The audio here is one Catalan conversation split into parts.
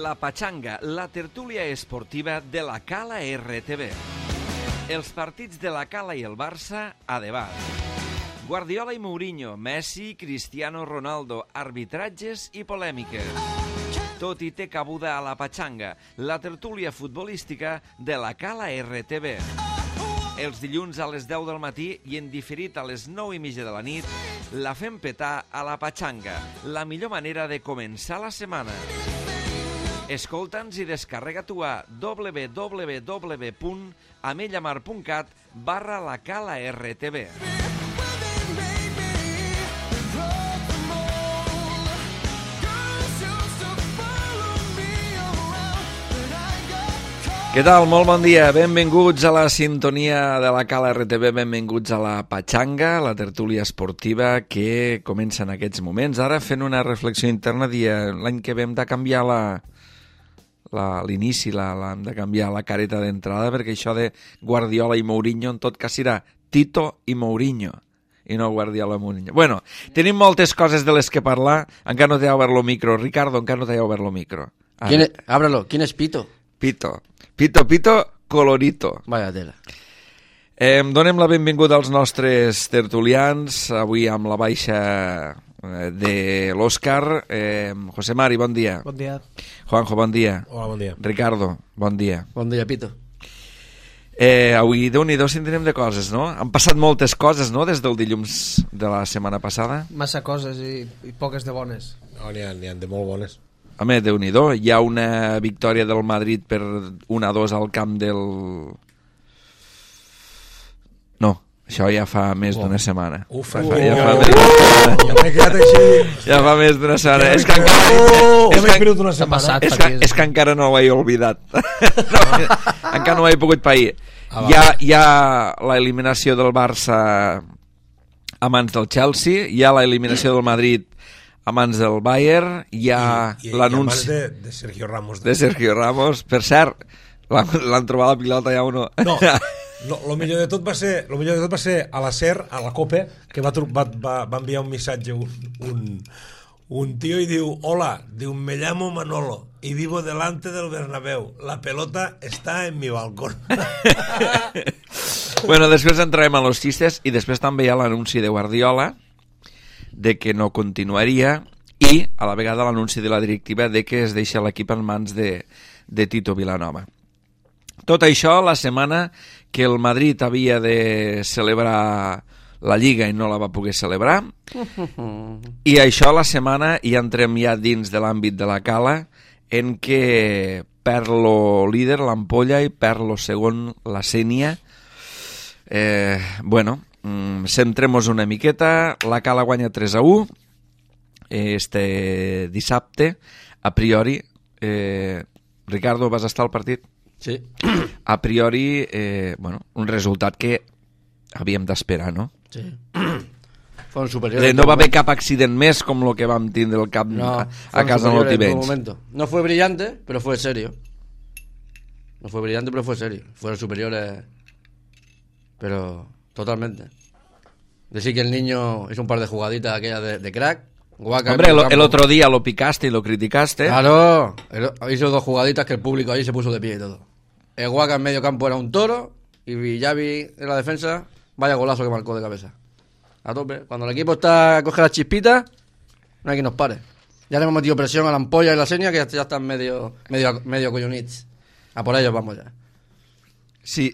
La Pachanga, la tertúlia esportiva de la Cala RTV. Els partits de la Cala i el Barça a debat. Guardiola i Mourinho, Messi, Cristiano Ronaldo, arbitratges i polèmiques. Tot hi té cabuda a La Pachanga, la tertúlia futbolística de la Cala RTV. Els dilluns a les 10 del matí i en diferit a les 9:30 de la nit, la fem petar a La Pachanga, la millor manera de començar la setmana. Escolta'ns i descarrega-t'ho a www.amellamar.cat/la Cala RTV. Què tal? Molt bon dia. Benvinguts a la sintonia de la Cala RTV, benvinguts a la Pachanga, la tertúlia esportiva que comença en aquests moments. Ara fent una reflexió interna, l'any que ve hem de canviar l'inici, hem de canviar la careta d'entrada, perquè això de Guardiola i Mourinho en tot cas serà Tito i Mourinho i no Guardiola i Mourinho. Bueno, tenim moltes coses de les que parlar. Encara no t'he obert el micro. Ricardo, encara no t'he obert el micro. Ábralo. ¿Quién es Pito? Pito colorito. Vaya tela. Donem la benvinguda als nostres tertulians, avui amb la baixa de l'Òscar. José Mari, bon dia. Bon dia. Juanjo, bon dia. Hola, bon dia. Ricardo, bon dia. Bon dia, Pito. Avui, Déu-n'hi-do, si en tenim de coses, no? Han passat moltes coses, no?, des del dilluns de la setmana passada. Massa coses i poques de bones. No, n'hi ha de molt bones. Home, Déu-n'hi-do, hi ha una victòria del Madrid per 1-2 al camp del... No, això ja fa més d'una setmana. Ja fa més d'una setmana. És que encara no ho he oblidat. Encara no ho he pogut pair. Hi ha l'eliminació del Barça a mans del Chelsea, hi ha l'eliminació del Madrid a mans del Bayern, hi ha l'anunci de Sergio Ramos. De Sergio Ramos. Per cert, l'han trobat la pilota ja o no? No, el millor de tot va ser a la SER, a la COPE, que va enviar un missatge un tío y diu: hola, diu, me llamo Manolo y vivo delante del Bernabéu, la pelota está en mi balcón. Bueno, després entrarem a los xistes i després també hi ha l'anunci de Guardiola de que no continuaria i a la vegada l'anunci de la directiva de que es deixa l'equip en mans de Tito Vilanova. Tot això la setmana que el Madrid havia de celebrar la Lliga i no la va poder celebrar, i això la setmana ja entrem ja dins de l'àmbit de la Cala, en què perd lo líder, l'Ampolla, i perd lo segon, la Sénia. Centrem-nos una miqueta. La Cala guanya 3-1 este dissabte. A priori, Ricardo, vas estar al partit? Sí. A priori, un resultat que havíem d'esperar, no? Sí. Fueron superiores. No va haver cap accident més com el que vam tindre el cap a casa en l'Otibenys. No fue brillante, pero fue serio. Fueron superiores, pero totalmente. Decir que el niño hizo un par de jugaditas aquellas de crack. Guaca. Hombre, el otro día lo picaste y lo criticaste. Claro, hizo dos jugaditas que el público ahí se puso de pie y todo. El Guaca en medio campo era un toro y Xavi en la defensa, vaya golazo que marcó de cabeza. A tope. Cuando el equipo coge las chispitas, no hay quien nos pare. Ya le hemos metido presión a la Ampolla y la Sénia, que ya están medio collonits. A por ellos vamos ya. Sí,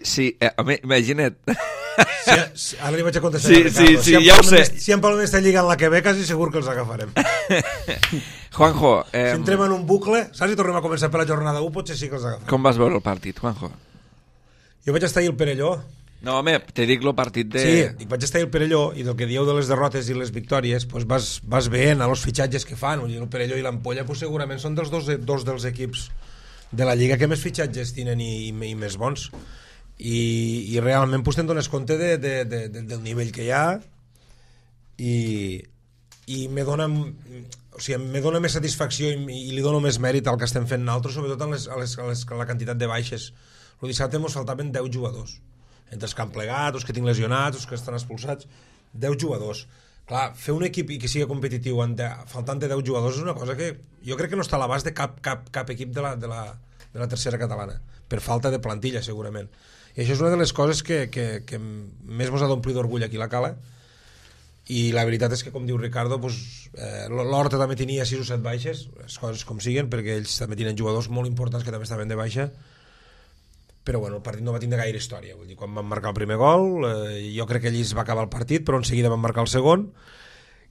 imagina't. Sí, ara li vaig a contestar. Sí, ja ho sé. Si en parlem d'esta lliga en la que ve, quasi segur que els agafarem. Juanjo, si entrem en un bucle, saps, si tornem a començar per la jornada 1, potser sí que els agafarem. Com vas veure el partit, Juanjo? Jo vaig estar ahir al Perelló. No, home, te dic el partit de... Sí, vaig estar al Perelló, i del que dieu de les derrotes i les victòries, pues vas veient a los fitxatges que fan. El Perelló i l'Ampolla pues segurament són dos dels equips de la Lliga que més fitxatges tenen i més bons. I realment pues, te'n dones compte del nivell que hi ha i me dona més satisfacció i li dono més mèrit al que estem fent nosaltres, sobretot a la quantitat de baixes. El dissabte ens faltaven 10 jugadors, entre els que han plegat, els que tinc lesionats, els que estan expulsats, 10 jugadors. Clar, fer un equip i que sigui competitiu faltant de 10 jugadors és una cosa que jo crec que no està a l'abast de cap equip de la tercera catalana, per falta de plantilla segurament, i això és una de les coses que més mos ha d'omplir d'orgull aquí a la Cala. I la veritat és que, com diu Ricardo, l'Horta també tenia 6 o 7 baixes, les coses com siguen, perquè ells també tenen jugadors molt importants que també estaven de baixa, però bueno, el partit no va tindre gaire història. Vull dir, quan van marcar el primer gol, jo crec que allí es va acabar el partit, però en seguida van marcar el segon,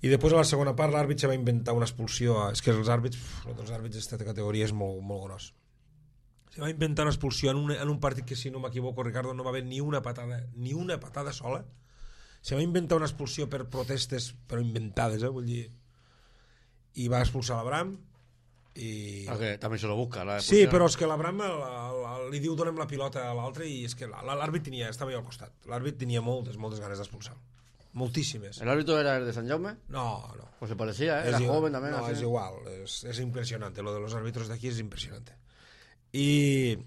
i després a la segona part l'àrbit se va inventar una expulsió. És que els àrbits d'aquesta categoria és molt, molt gros. Se va inventar una expulsió en un partit que, si no m'equivoco, Ricardo, no va haver ni una patada sola. Se va inventar una expulsió per protestes, però inventades, vull dir, i va expulsar l'Abram. Que també se lo busca. Sí, però és que l'Abram li diu donem la pilota a l'altre, i és que l'àrbit estava allà al costat. L'àrbit tenia moltes ganes d'expulsar. Moltíssimes. ¿El árbitro era el de San Jaume? No. Pues se parecía, era joven también. No, es igual, es impresionante. Lo de los árbitros d'aquí és impressionante. I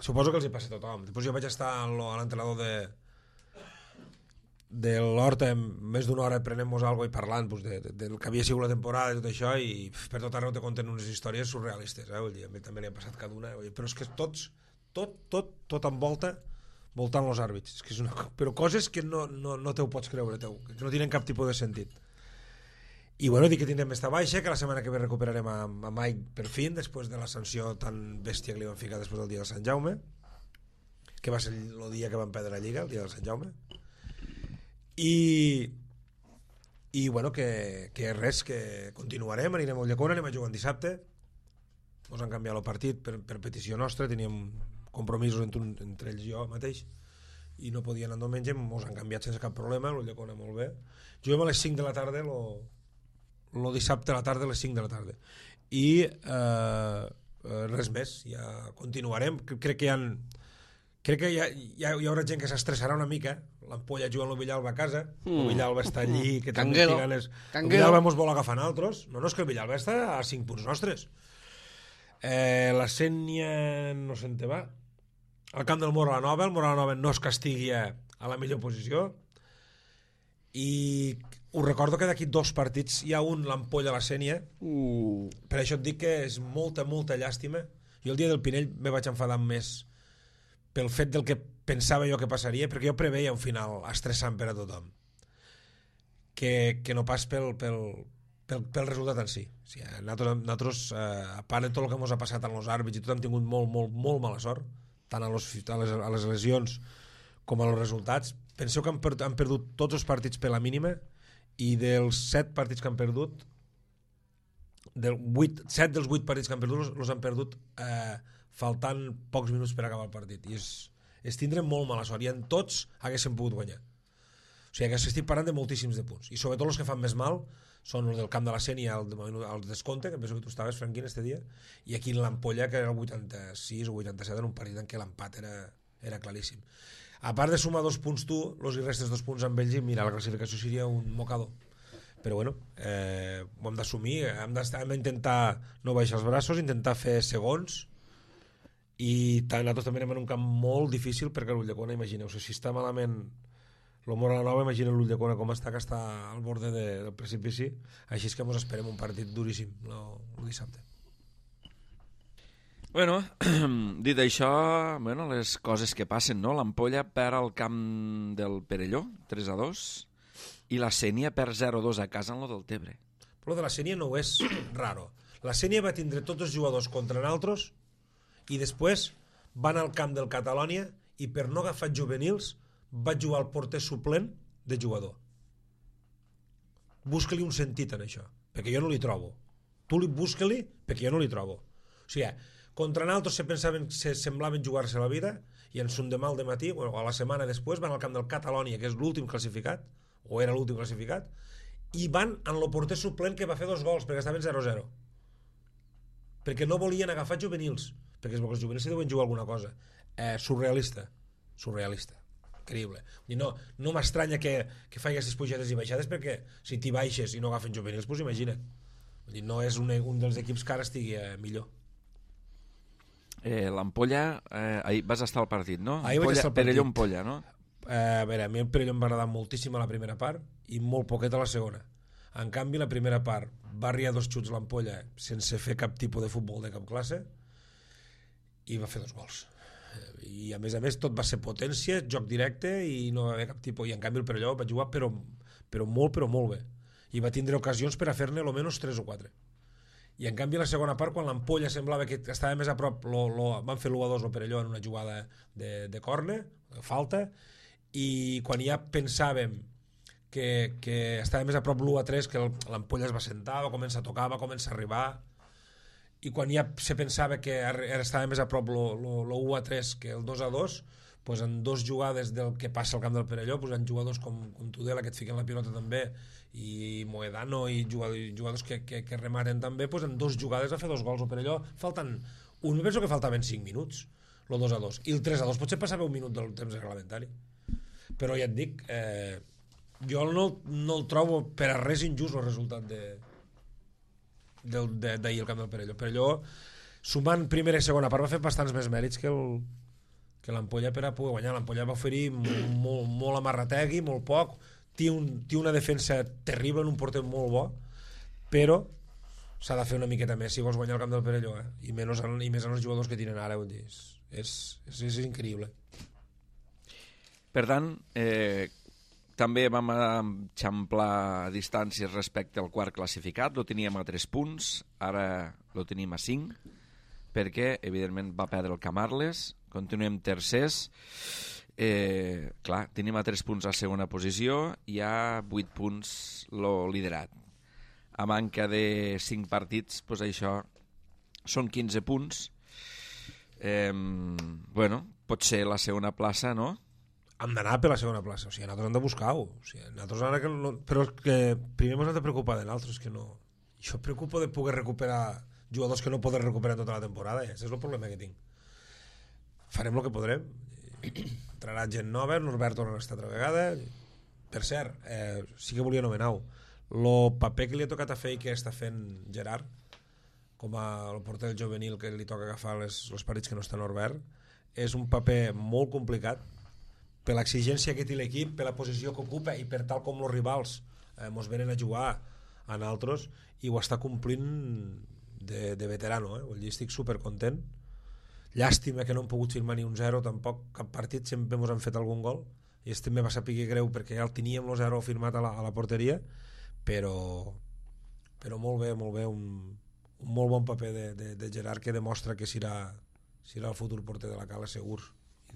suposo que els hi passa a tothom. Després jo vaig estar a l'entrenador de l'Horta més d'una hora prenent-nos alguna i parlant del que havia sigut la temporada i tot això, i per tot arreu te conten unes històries surrealistes, vull dir, a mi també n'hi ha passat cada una, però és que tot envolta voltant els àrbits, és que però coses que no te ho pots creure, que no tenen cap tipus de sentit. I bueno, dic que tindrem esta baixa, que la setmana que ve recuperarem a Mike per fin, després de la sanció tan bèstia que li van ficar després del dia de Sant Jaume, que va ser el dia que van perdre la Lliga, el dia de Sant Jaume. I bueno, que res, que continuarem, anirem a Ulldecona, anem a jugar dissabte, ens han canviat el partit per petició nostra, teníem compromisos entre ells i jo mateix i no podien anar diumenge, ens han canviat sense cap problema, l'Ulldecona molt bé, juguem a les 5 de la tarda el dissabte a la tarda a les 5 de la tarda i res més, ja continuarem. Crec que hi haurà gent que s'estressarà una mica. L'Ampolla jugant el Villalba a casa, el Villalba està allí, que també té ganes. El Villalba mos vol agafar altres. No, és que el Villalba està a 5 punts nostres. La Sénia no se'n te va. Al camp del Mora la Nova, el Mora la Nova no es castigui a la millor posició, i us recordo que d'aquí 2 partits hi ha l'Ampolla a la Sénia. Per això et dic que és molta llàstima. Jo el dia del Pinell me vaig enfadar més pel fet del que pensava jo que passaria, perquè jo preveia un final estressant per a tothom, que no pas pel resultat en si. O sigui, nosaltres, a part de tot el que ens ha passat amb els àrbits i tot, hem tingut molt mala sort, tant a les lesions com a els resultats. Penseu que han perdut tots els partits per la mínima, i dels 7 partits que han perdut, 7 dels 8 partits que han perdut els han perdut faltant pocs minuts per acabar el partit, i és tindre molt mala sort, i en tots haguéssim pogut guanyar. O sigui que estic parlant de moltíssims de punts, i sobretot els que fan més mal són els del camp de la Sénia al descompte, que penso que tu estaves, Franquín, este dia, i aquí en l'Ampolla, que era el 86 o 87, en un partit en què l'empat era claríssim. A part de sumar 2 punts tu, els hi restes 2 punts amb ells, i mira, la classificació seria un mocador. Però bueno, ho hem d'assumir, hem d'intentar no baixar els braços, intentar fer segons, i nosaltres també anem en un camp molt difícil, perquè l'Ulldecona, imagineu-se, si està malament el Mora la Nova, imagina l'Ulldecona com està, que està al borde del precipici. Així és que ens esperem un partit duríssim el dissabte. Bueno, dit això, les coses que passen, no? L'Ampolla perd al camp del Perelló 3-2, i la Sénia perd 0-2 a casa en lo del Tebre. Però de la Sénia no és raro. La Sénia va tindre tots els jugadors contra nosaltres, i després van al camp del Catalònia, i per no agafar juvenils va jugar el porter suplent de jugador. Busca-li un sentit en això, perquè jo no li trobo. Tu busca-li, perquè jo no li trobo. O sigui, contra nosaltres se semblaven jugar-se la vida, i en son demà al dematí, o a la setmana després, van al camp del Catalònia, que és l'últim classificat, o era l'últim classificat, i van en el porter suplent, que va fer 2 gols perquè estaven 0-0, perquè no volien agafar juvenils, perquè els juvenils se deuen jugar alguna cosa. Surrealista, increïble. No m'estranya que faci aquestes pujades i baixades, perquè si t'hi baixes i no agafen juvenils, doncs imagina't. No és un dels equips que ara estigui millor. L'Ampolla, ahir vas estar al partit, no? Ahir vaig estar al partit. Perelló-Ampolla, no? A veure, a mi el Perelló em va agradar moltíssim a la primera part i molt poquet a la segona. En canvi, la primera part va arriar 2 xuts l'ampolla sense fer cap tipus de futbol de cap classe i va fer 2 gols. I a més tot va ser potència, joc directe i no va haver cap tipus. I en canvi el Perelló va jugar però molt bé. I va tindre ocasions per a fer-ne almenys 3 o 4. I en canvi la segona part, quan l'ampolla semblava que estava més a prop, van fer l'1-2 el Perelló en una jugada de córner, de falta, i quan ja pensàvem que estava més a prop l'1-3, que l'ampolla es va sentar, va començar a tocar, va començar a arribar, i quan ja se pensava que estava més a prop l'1-3 que el 2-2, pues en 2 jugades del que passa al camp del Perelló, pues en jugadors com Tudela, que et fiquen la pilota també, i Moedano, i jugadors que rematen també, pues en 2 jugades va fer 2 gols al Perelló. Penso que faltaven 5 minuts, el 2-2, i el 3-2 potser passava 1 minut del temps reglamentari. Però ja et dic, jo no el trobo per a res injust el resultat d'ahir al camp del Perelló. Perelló, sumant primera i segona part, va fer bastants més mèrits que l'ampolla per a poder guanyar. L'ampolla va oferir molt amarrategui, molt poc, té una defensa terrible en un porter molt bo, però s'ha de fer una miqueta més si vols guanyar el camp del Perelló, i més en els jugadors que tenen ara, vull dir, és increïble. Per tant, també vam eixamplar distàncies respecte al quart classificat, lo teníem a 3 punts, ara lo tenim a 5, perquè, evidentment, va perdre el Camarles, continuem tercers, clar, tenim a 3 punts a segona posició, i a 8 punts lo liderat. A manca de 5 partits, doncs això són 15 punts. Bueno, pot ser la segona plaça, no? Hem d'anar per la segona plaça, o sigui, nosaltres hem de buscar-ho, o sigui, nosaltres ara que no, però que primer ens hem de preocupar de nosaltres, que no. Jo em preocupo de poder recuperar jugadors que no poden recuperar tota la temporada, i aquest és el problema que tinc. Farem el que podrem, entrarà gent nova, Norbert torna a estar altra vegada. Per cert, sí que volia anomenar-ho, el paper que li ha tocat a fer i que està fent Gerard, com el porter juvenil que li toca agafar els partits que no està Norbert, és un paper molt complicat, per l'exigència que té l'equip, per la posició que ocupa i per tal com els rivals ens venen a jugar a nosaltres, i ho està complint de veterano, vull dir, estic supercontent. Llàstima que no hem pogut firmar ni un 0 tampoc, cap partit, sempre ens han fet algun gol, i este me va saber greu perquè ja el teníem el 0 firmat a la porteria, però molt bé, un molt bon paper de Gerard, que demostra que serà el futur porter de la Cala, segur,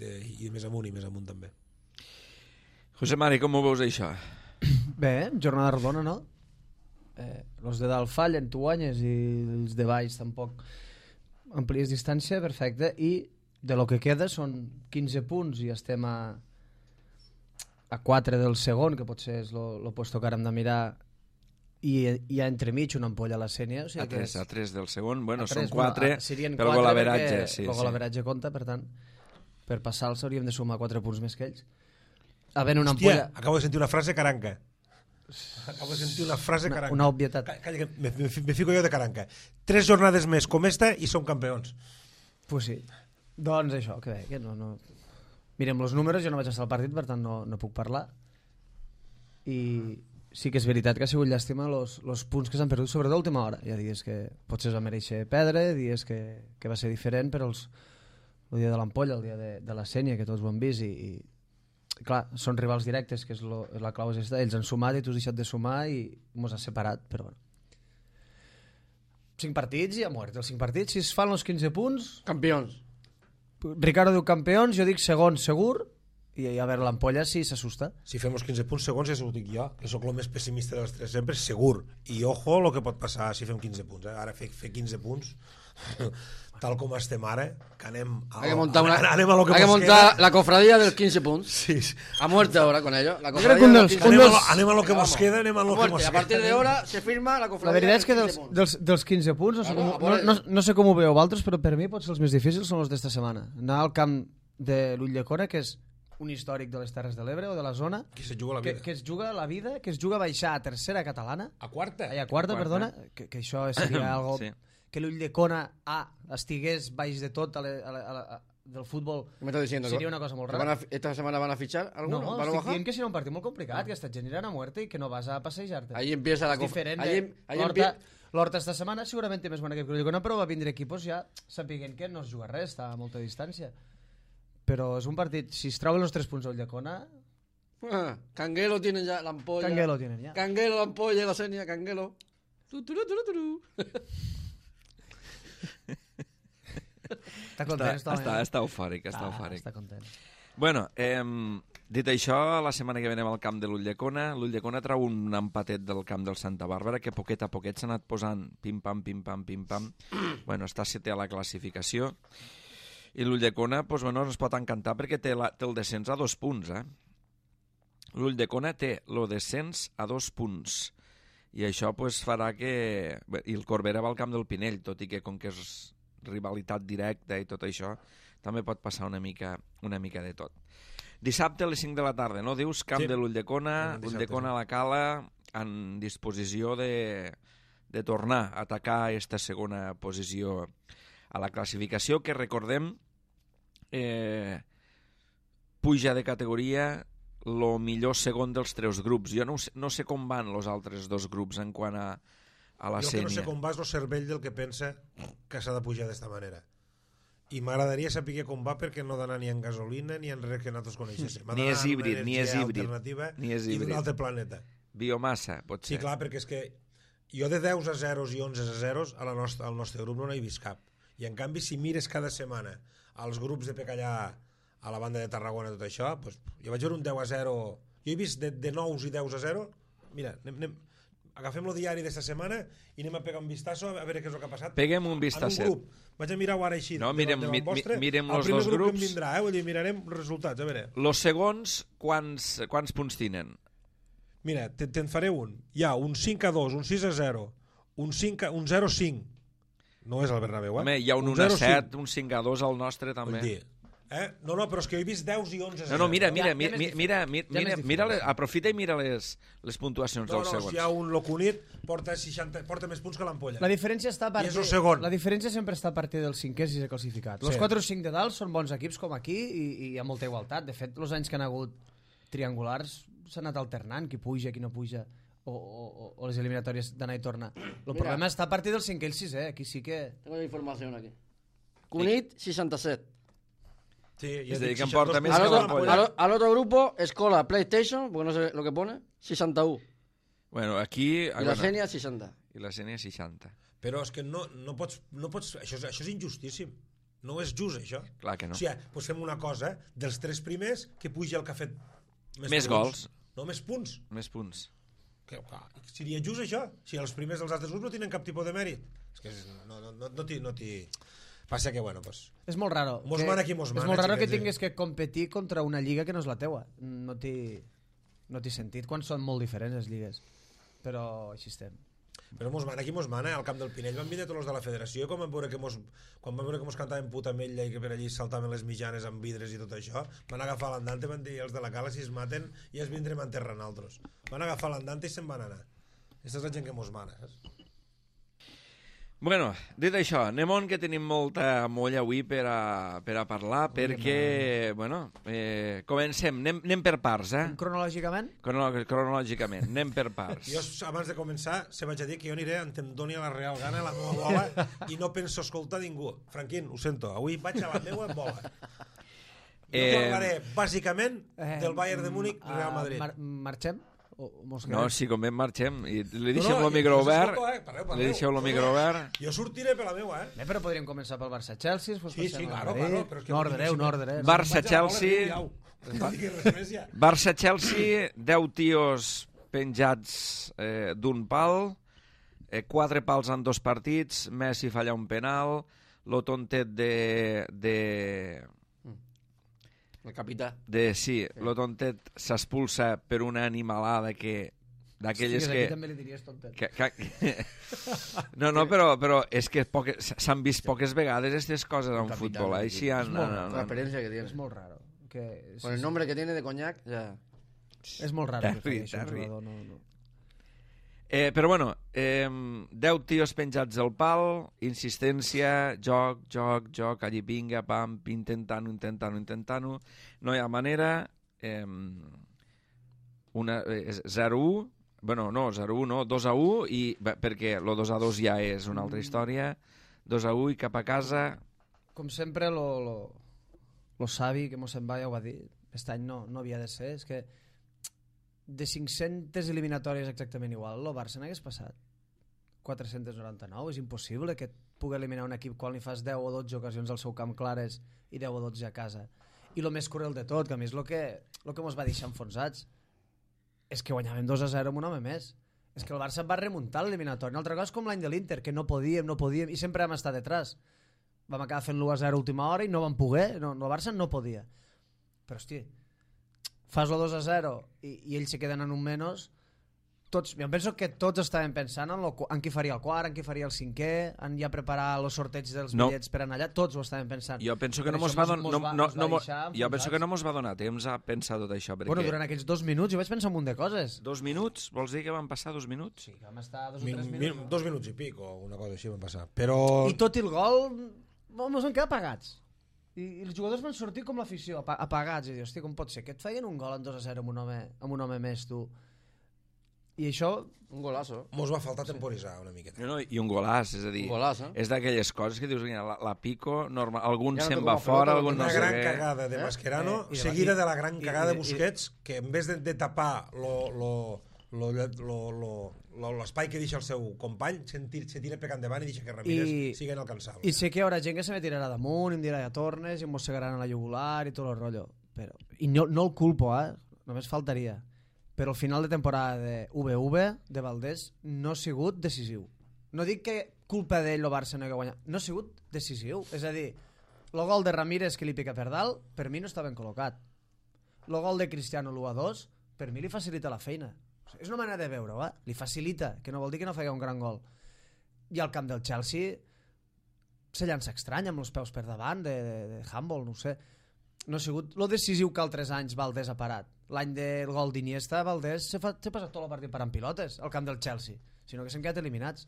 i més amunt també. José Mari, com ho veus això? Bé, jornada rodona, no? Els de dalt fallen, tu guanyes, i els de baix tampoc amplies distància, perfecte, i de lo que queda són 15 punts i estem a 4 del segon, que potser és el puesto que ara hem de mirar, i hi ha entremig una ampolla a la Sènia, o sigui a 3 del segon, bueno, a 3, són 4, serien però 4 golaveratge, sí. El golaveratge compta, per tant, per passar-los hauríem de sumar 4 punts més que ells. Havent una ampolla... Hòstia, acabo de sentir una frase caranca. Una obvietat. Calla, que me fico jo de caranca. 3 jornades més com esta i som campions. Pues sí. Doncs això, que bé, que no... Mirem els números, jo no vaig estar al partit, per tant no puc parlar. I sí que és veritat que ha sigut llàstima els punts que s'han perdut, sobretot a última hora. Hi ha dies que potser es va mereixer perdre, dies que va ser diferent, però el dia de l'ampolla, el dia de la Sènia, que tots ho han vist, i clar, són rivals directes, que és la clau és esta. Ells han sumat i tu has deixat de sumar i mos has separat, però bueno. 5 partits i a mort. Els 5 partits, si es fan els 15 punts... Campions. Ricardo diu campions, jo dic segon segur, i a veure l'ampolla si s'assusta. Si fem els 15 punts segons, ja s'ho dic jo, que sóc el més pessimista dels 3 sempre, segur. I ojo el que pot passar si fem 15 punts. Ara fer 15 punts... tal com estem ara, que anem a lo que montar la cofradía del 15 punts. Sí. A muerte ahora con ello. La anem a lo que nos queda, anem a lo que nos queda. A partir de ahora se firma la cofradía. La veritat és que dels 15 punts, no sé com ho veieu vosaltres, però per mi potser els més difícils són els d'esta setmana. Anar al camp de l'Ulldecona, que és un històric de les Terres de l'Ebre o de la zona, que es juga la vida, que es juga la vida, que es juga a baixar a tercera catalana, a quarta, perdona, que això seria algo... Sí. Que l'Ulldecona estigués baix de tot del futbol Me estás diciendo seria una cosa molt que rara. esta semana van a fichar alguno No, para estic bajar. dient que serà un partit molt complicat, que estàs generant a muerte i que no vas a passejar-te. Ahí empieza la És diferent ahí l'Horta esta setmana segurament té més bon equip que l'Ulldecona, però va vindre equipos ja sapiguent que no es juga res, està a molta distància. Però és un partit, si es troben els 3 punts a Ulldecona, Canguelo tiene ya la ampolla. Canguelo tienen ya. Canguelo, la ampolla, la seña, Canguelo. està content. Està eufòric, està eufòric. Està content. Bueno, dit això, la setmana que ve anem al camp de l'Ulldecona. L'Ulldecona trau un empatet del camp del Santa Bàrbara que poquet a poquet s'ha anat posant pim-pam, pim-pam, pim-pam. Bueno, està setè a la classificació. I l'Ulldecona doncs, bueno, ens pot encantar perquè té el descens a 2 punts. L'Ulldecona té el descens a 2 punts. I això doncs, farà que... I el Corbera va al camp del Pinell, tot i que com que és rivalitat directa i tot això, també pot passar una mica de tot. Dissabte a les 5 de la tarda, no? Dius, camp de l'Ulldecona, Ulldecona a la Cala, en disposició de tornar a atacar aquesta segona posició a la classificació, que recordem puja de categoria el millor segon dels 3 grups. Jo no sé com van els altres 2 grups en quant a la jo sènia. Jo que no sé com va és el cervell del que pensa que s'ha de pujar d'esta manera. I m'agradaria saber com va perquè no d'anar ni en gasolina ni en res que nosaltres coneixéssim. Ni és híbrid, ni és híbrid. I d'un altre planeta. Biomassa, pot ser. Sí, clar, perquè és que jo de 10 a 0 i 11 a 0 al nostre grup no n'he vist cap. I en canvi, si mires cada setmana als grups de Pecallà, a la banda de Tarragona, tot això, doncs, jo vaig veure un 10 a 0. Jo he vist de 9 i 10 a 0. Mira, agafem el diari d'esta setmana i anem a pegar un vistazo a veure què és el que ha passat. Peguem un vistacet. En un grup. Vaig a mirar-ho ara així. No, mirem els dos grups. El primer grup que em vindrà, vull dir, mirarem els resultats, a veure. Los segons, quants punts tenen? Mira, te'n faré un. Hi ha un 5 a 2, un 6 a 0, un 0 a 5. No és el Bernabéu, Home, hi ha un 1 a 7, un 5 a 2 al nostre, també. Vull dir, No, però és que he vist 10 i 11 a 0. No, mira, aprofita i mira les puntuacions dels segons. Si hi ha un Locunit, porta més punts que l'Ampolla. La diferència està a partir... I és el segon. La diferència sempre està a partir del 5è i 6è classificat. Els 4 o 5 de dalt són bons equips com aquí i hi ha molta igualtat. De fet, els anys que han hagut triangulars s'ha anat alternant, qui puja, qui no puja, o les eliminatòries d'anar i tornar. El problema està a partir del 5è i el 6è. Aquí sí que... Tengo la información aquí. Cunit, 67. Sí, es decir, que importa més que l'Ampolla. Al otro grupo, Escola, PlayStation, porque no sé lo que pone, 61. Bueno, aquí... I la Sènia, 60. I la Sènia, 60. Però és que no pots... Això és injustíssim. No és just, això. Clar que no. O sigui, doncs fem una cosa, dels 3 primers, que puja el que ha fet més gols. No, més punts. Més punts. Seria just, això? Si els primers dels altres grups no tenen cap tipus de mèrit. És que no t'hi... Passa que, bueno, pues... És molt raro. Mos mana qui mos mana. És molt raro que tinguis que competir contra una lliga que no és la teua. No té sentit quan són molt diferents les lligues. Però així estem. Però mos mana qui mos mana. Al camp del Pinell van vindre tots els de la federació i quan van veure que mos cantaven puta ametlla i que per allí saltaven les mitjanes amb vidres i tot això, van agafar l'andante i van dir els de la Cala si es maten ja es vindrem a enterrar nosaltres. Van agafar l'andante i se'n van anar. Aquesta és la gent que mos mana, saps? Bueno, dit això, anem on que tenim molta molla avui per a parlar, perquè, bueno, comencem, anem per parts, Cronològicament? Cronològicament, anem per parts. Jo, abans de començar, se vaig a dir que jo aniré on em doni la real gana la meva bola i no penso escoltar ningú. Franquín, ho sento, avui vaig a la meva bola. Jo parlaré, bàsicament, del Bayern de Múnich, Real Madrid. Marxem? No, si convé marxem i li deixem el micro obert. Li deixeu el micro obert. Jo sortiré per la meva, Però podríem començar pel Barça-Chelsea. Sí, claro. No ordeneu. Barça-Chelsea, 10 tios penjats d'un pal, 4 pals en 2 partits, Messi falla un penal, lo tontet el capità. Sí, lo tontet s'expulsa per una animalada d'aquelles que... també li diries tontet. No, però és que s'han vist poques vegades aquestes coses en futbol. Així la experiencia que tiene. És molt raro. Con el nombre que tiene de coñac, ya... És molt raro. Terri. Però bueno, 10 tios penjats al pal, insistència, joc, allí vinga, pam, intentant-ho, no hi ha manera, 0-1, bueno, no, 0-1 no, 2-1, perquè el 2-2 ja és una altra història, 2-1 i cap a casa. Com sempre, lo savi, que Mossèn ja ho va dir, aquest any no havia de ser, és que de 500 eliminatòries exactament igual, el Barça n'hagués passat 499, és impossible que pugui eliminar un equip quan li fas 10 o 12 ocasions al seu camp clares i 10 o 12 a casa. I el més cruel de tot, que a més el que mos va deixar enfonsats és que guanyàvem 2-0 amb un home més. És que el Barça va remuntar l'eliminatori. Una altra cosa és com l'any de l'Inter, que no podíem, i sempre vam estar detrás. Vam acabar fent l'1-0 a última hora i no vam poder, el Barça no podia. Però, hòstia, fas el 2-0 i ells se queden en un menys, tots, jo penso que tots estaven pensant en qui faria el quart, en qui faria el cinquè, en ja preparar els sorteig dels bitllets per anar allà, tots ho estaven pensant. Jo penso que no mos va donar temps a pensar tot això. Perquè... Bueno, durant aquells 2 minuts jo vaig pensar un munt de coses. 2 minuts? Vols dir que van passar 2 minuts? Sí, que vam estar 2 o 3 minuts. 2 minuts i pic o una cosa així van passar. Però... I tot i el gol ens van quedar apagats. I els jugadors van sortir com l'afició, apagats, i dir, hòstia, com pot ser que et feien un gol en 2-0 amb un home més, tu? I això... Un golazo. Mos va faltar temporitzar una miqueta. No, i un golaç, és a dir, és d'aquelles coses que dius, la pico, normal, algun ja se'n va fora, algun no sé què... Una gran cagada de Mascherano, seguida de la gran cagada de Busquets, que en vez de tapar l'espai que deixa el seu company se tira per endavant i deixa que Ramírez sigui inalcançable. I sé que hi haurà gent que se me tirarà damunt i em dirà ja tornes i em mossegaran a la jugular i tot el rotllo, però, i no el culpo, només faltaria, però el final de temporada de VV de Valdés no ha sigut decisiu. No dic que culpa d'ell el Barça no ha guanyat, no ha sigut decisiu, és a dir, el gol de Ramírez que li pica per dalt per mi no està ben col·locat, el gol de Cristiano l'1-2 per mi li facilita la feina. És una manera de veure-ho, li facilita, que no vol dir que no faci un gran gol. I al camp del Chelsea se llança estrany amb els peus per davant de handball, no ho sé. No ha sigut lo decisiu que altres anys Valdés ha parat. L'any del gol d'Iniesta, Valdés s'ha passat tot el partit parant pilotes al camp del Chelsea, sinó que s'han quedat eliminats.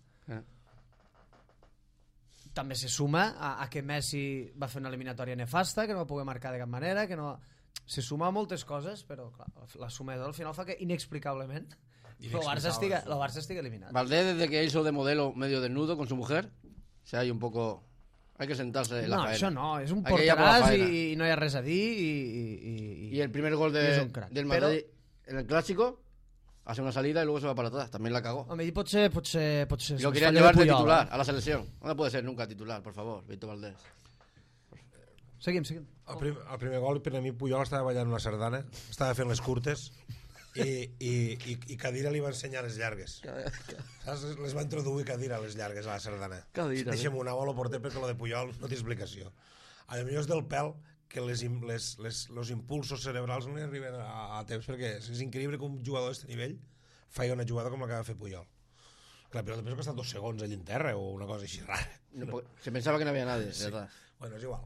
També se suma a que Messi va fer una eliminatòria nefasta, que no va poder marcar de cap manera, que no... Se suma a moltes coses, però clar, la suma al final fa que inexplicablement el Barça estigui eliminat. Valdés, desde que hizo de modelo medio desnudo con su mujer, se hay un poco... Hay que sentarse en la faena. No, això no, és un porteràs i no hi ha res a dir y el primer gol del Madrid en el Clásico hace una salida y luego se va para atrás, también la cagó. Home, potser y lo querían llevar de titular a la selección. No puede ser nunca titular, por favor, Víctor Valdés. Seguim. El primer gol, per a mi, Puyol estava ballant una sardana, estava fent les curtes i Cadira li va ensenyar les llargues. Saps? Les va introduir Cadira les llargues a la sardana. Deixem una bola porter perquè lo de Puyol no té explicació. A millor és del pèl que els impulsos cerebrals no li arriben a temps, perquè és increïble que un jugador d'aquest nivell faci una jugada com la que va fer Puyol. Que la pilota penso que ha estat 2 segons allà en terra o una cosa així rara. Se pensava que no havia nadie, sí. ¿verdad? Bueno, és igual.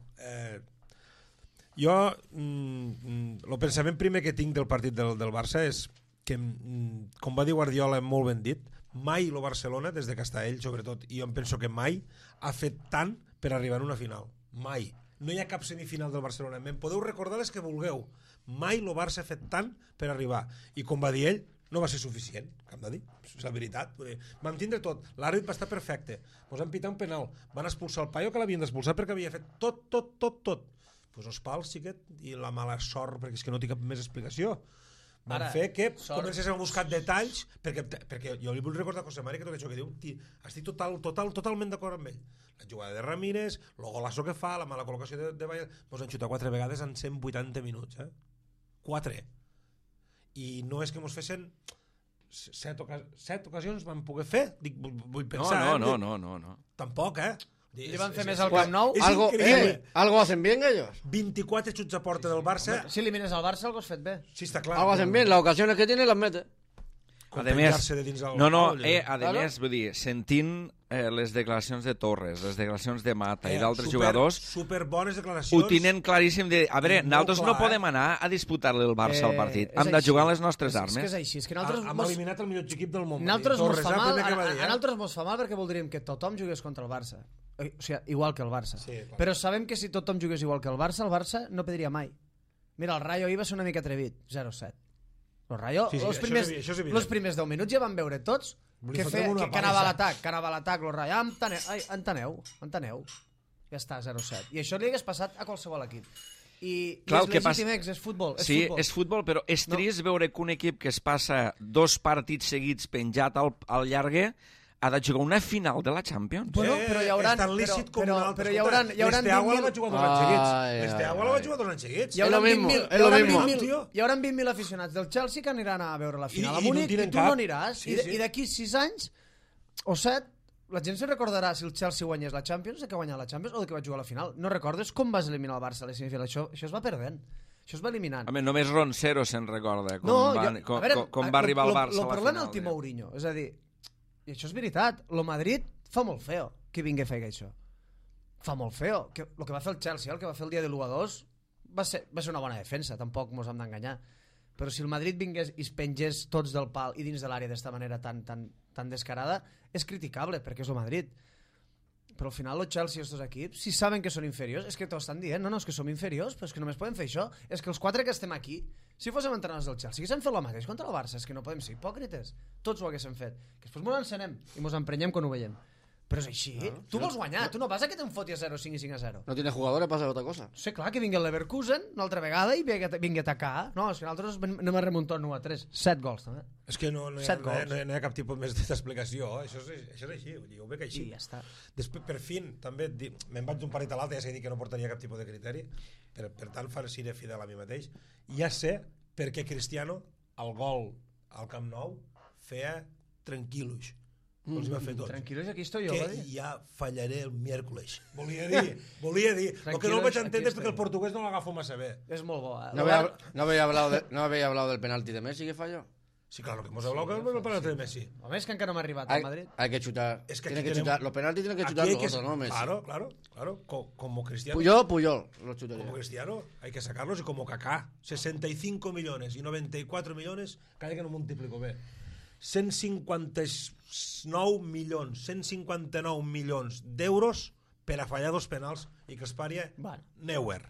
Jo, el pensament primer que tinc del partit del Barça és que, com va dir Guardiola, molt ben dit, mai el Barcelona, des de que està ell, sobretot, i jo em penso que mai ha fet tant per arribar a una final. Mai. No hi ha cap semifinal del Barcelona. Me'n podeu recordar les que vulgueu. Mai el Barça ha fet tant per arribar. I com va dir ell, no va ser suficient, que hem de dir, és la veritat. Vam tindre tot, l'àrbit va estar perfecte, ens van pitar un penal, van expulsar el paio que l'havien d'expulsar perquè havia fet tot. Pues els pals, xiquet, i la mala sort, perquè és que no té cap més explicació. Van fer que comencés a buscar detalls, perquè jo li vull recordar a José Mari que tot això que diu, estic totalment d'acord amb ell. La jugada de Ramírez, el golasso que fa, la mala col·locació de Valladolid, ens han xutat 4 vegades en 180 minuts, 4. I no és que mos fessin 7 ocasions van poder fer, vull pensar. No. Tampoc, Li van fer més al Camp Nou. Algo hacen bien ellos. 24 xuts a porta del Barça. Si elimines el Barça, algo has fet bé. Sí, està clar. Algo hacen bien, las ocasiones que tiene las mete. penjar-se de dins el... a més, vull dir, sentint les declaracions de Torres, les declaracions de Mata i d'altres jugadors, superbones declaracions. ho tenen claríssim de, a veure, nosaltres no podem anar a disputar-li el Barça al partit, hem de jugar les nostres armes. És que és així, és que Hem eliminat el millor equip del món. Nosaltres mos fa mal perquè voldríem que tothom jugués contra el Barça, o sigui, igual que el Barça, però sabem que si tothom jugués igual que el Barça no perdria mai. Mira, el Rayo ahir va ser una mica atrevit, 0-7. El Rayo, els primers 10 minuts ja van veure tots que anava a l'atac, el Rayo, enteneu. Ja està, 0-7. I això li hagués passat a qualsevol equip. I és legítim, és futbol. Sí, és futbol, però és trist veure que un equip que es passa 2 partits seguits penjat al llargue ha de jugar una final de la Champions. Bueno, però hi haurà... És tan lícit com un altre. Però hi haurà... L'Esteagua la va jugar 2 anys seguits. L'Esteagua la va jugar 2 anys seguits. Hi haurà 20.000 aficionats del Chelsea que aniran a veure la final a Múnich i tu no aniràs. I d'aquí 6 anys o 7 la gent se recordarà si el Chelsea guanyés la Champions, de que guanyar la Champions o de que va jugar a la final. No recordes com vas eliminar el Barça a les semifinals? Això es va perdent. Això es va eliminant. Home, només Roncero se'n recorda com va arribar el Barça a la final. El problema és el Timo Mourinho. És a dir, i això és veritat, el Madrid fa molt feo que vingui a fer això. Fa molt feo. El que va fer el Chelsea, el que va fer el dia de l'1-2 va ser una bona defensa, tampoc mos hem d'enganyar. Però si el Madrid vingués i es pengés tots del pal i dins de l'àrea d'esta manera tan descarada, és criticable, perquè és el Madrid. Però al final el Chelsea i els dos equips, si saben que són inferiors, és que t'ho estan dient, no, és que som inferiors, però és que només podem fer això. És que els 4 que estem aquí, si fóssim entrenadors del Chelsea, haguéssim fet el mateix contra el Barça, és que no podem ser hipòcrites. Tots ho haguéssim fet. Que després mos encenem i mos emprenyem quan ho veiem. Però és així, tu vols guanyar, tu no vas a que te'n foti a 0-5 i 5-0. No tienes jugadores, pasa otra cosa. Sí, clar, que vingui el Leverkusen una altra vegada i vingui a atacar. No, és que nosaltres anem a remuntar 1-3. 7 gols, també. És que no hi ha cap tipus més d'explicació. Això és així, ho veig així. I ja està. Després, per fin, també me'n vaig d'un partit a l'altre, ja sé dir que no portaria cap tipus de criteri, per tant seré fidel a mi mateix. Ja sé per què Cristiano, el gol al Camp Nou, feia tranquil·los. Els va fer tots. Tranquil·los, aquí estoy jo, que va dir. ja fallaré el miércoles. Volia dir. El que no el vaig entendre és perquè el portuguès no l'agafo massa bé. És molt bo. No había hablado del penalti de Messi que falló. Sí, claro, que hemos hablado que el penalti de Messi. Home, és que encara no m'ha arribat al Madrid. Hay que chutar. Es que tiene que chutar. Los penaltis tienen que chutar los otros, ¿no, Messi? Claro. Como Cristiano. Puyol los chutaría. Como Cristiano, hay que sacarlos, y como Kaká. 65 millones y 94 millones, cada que no multiplico bé. 159 milions d'euros per a fallar 2 penals i que es paria Neuer.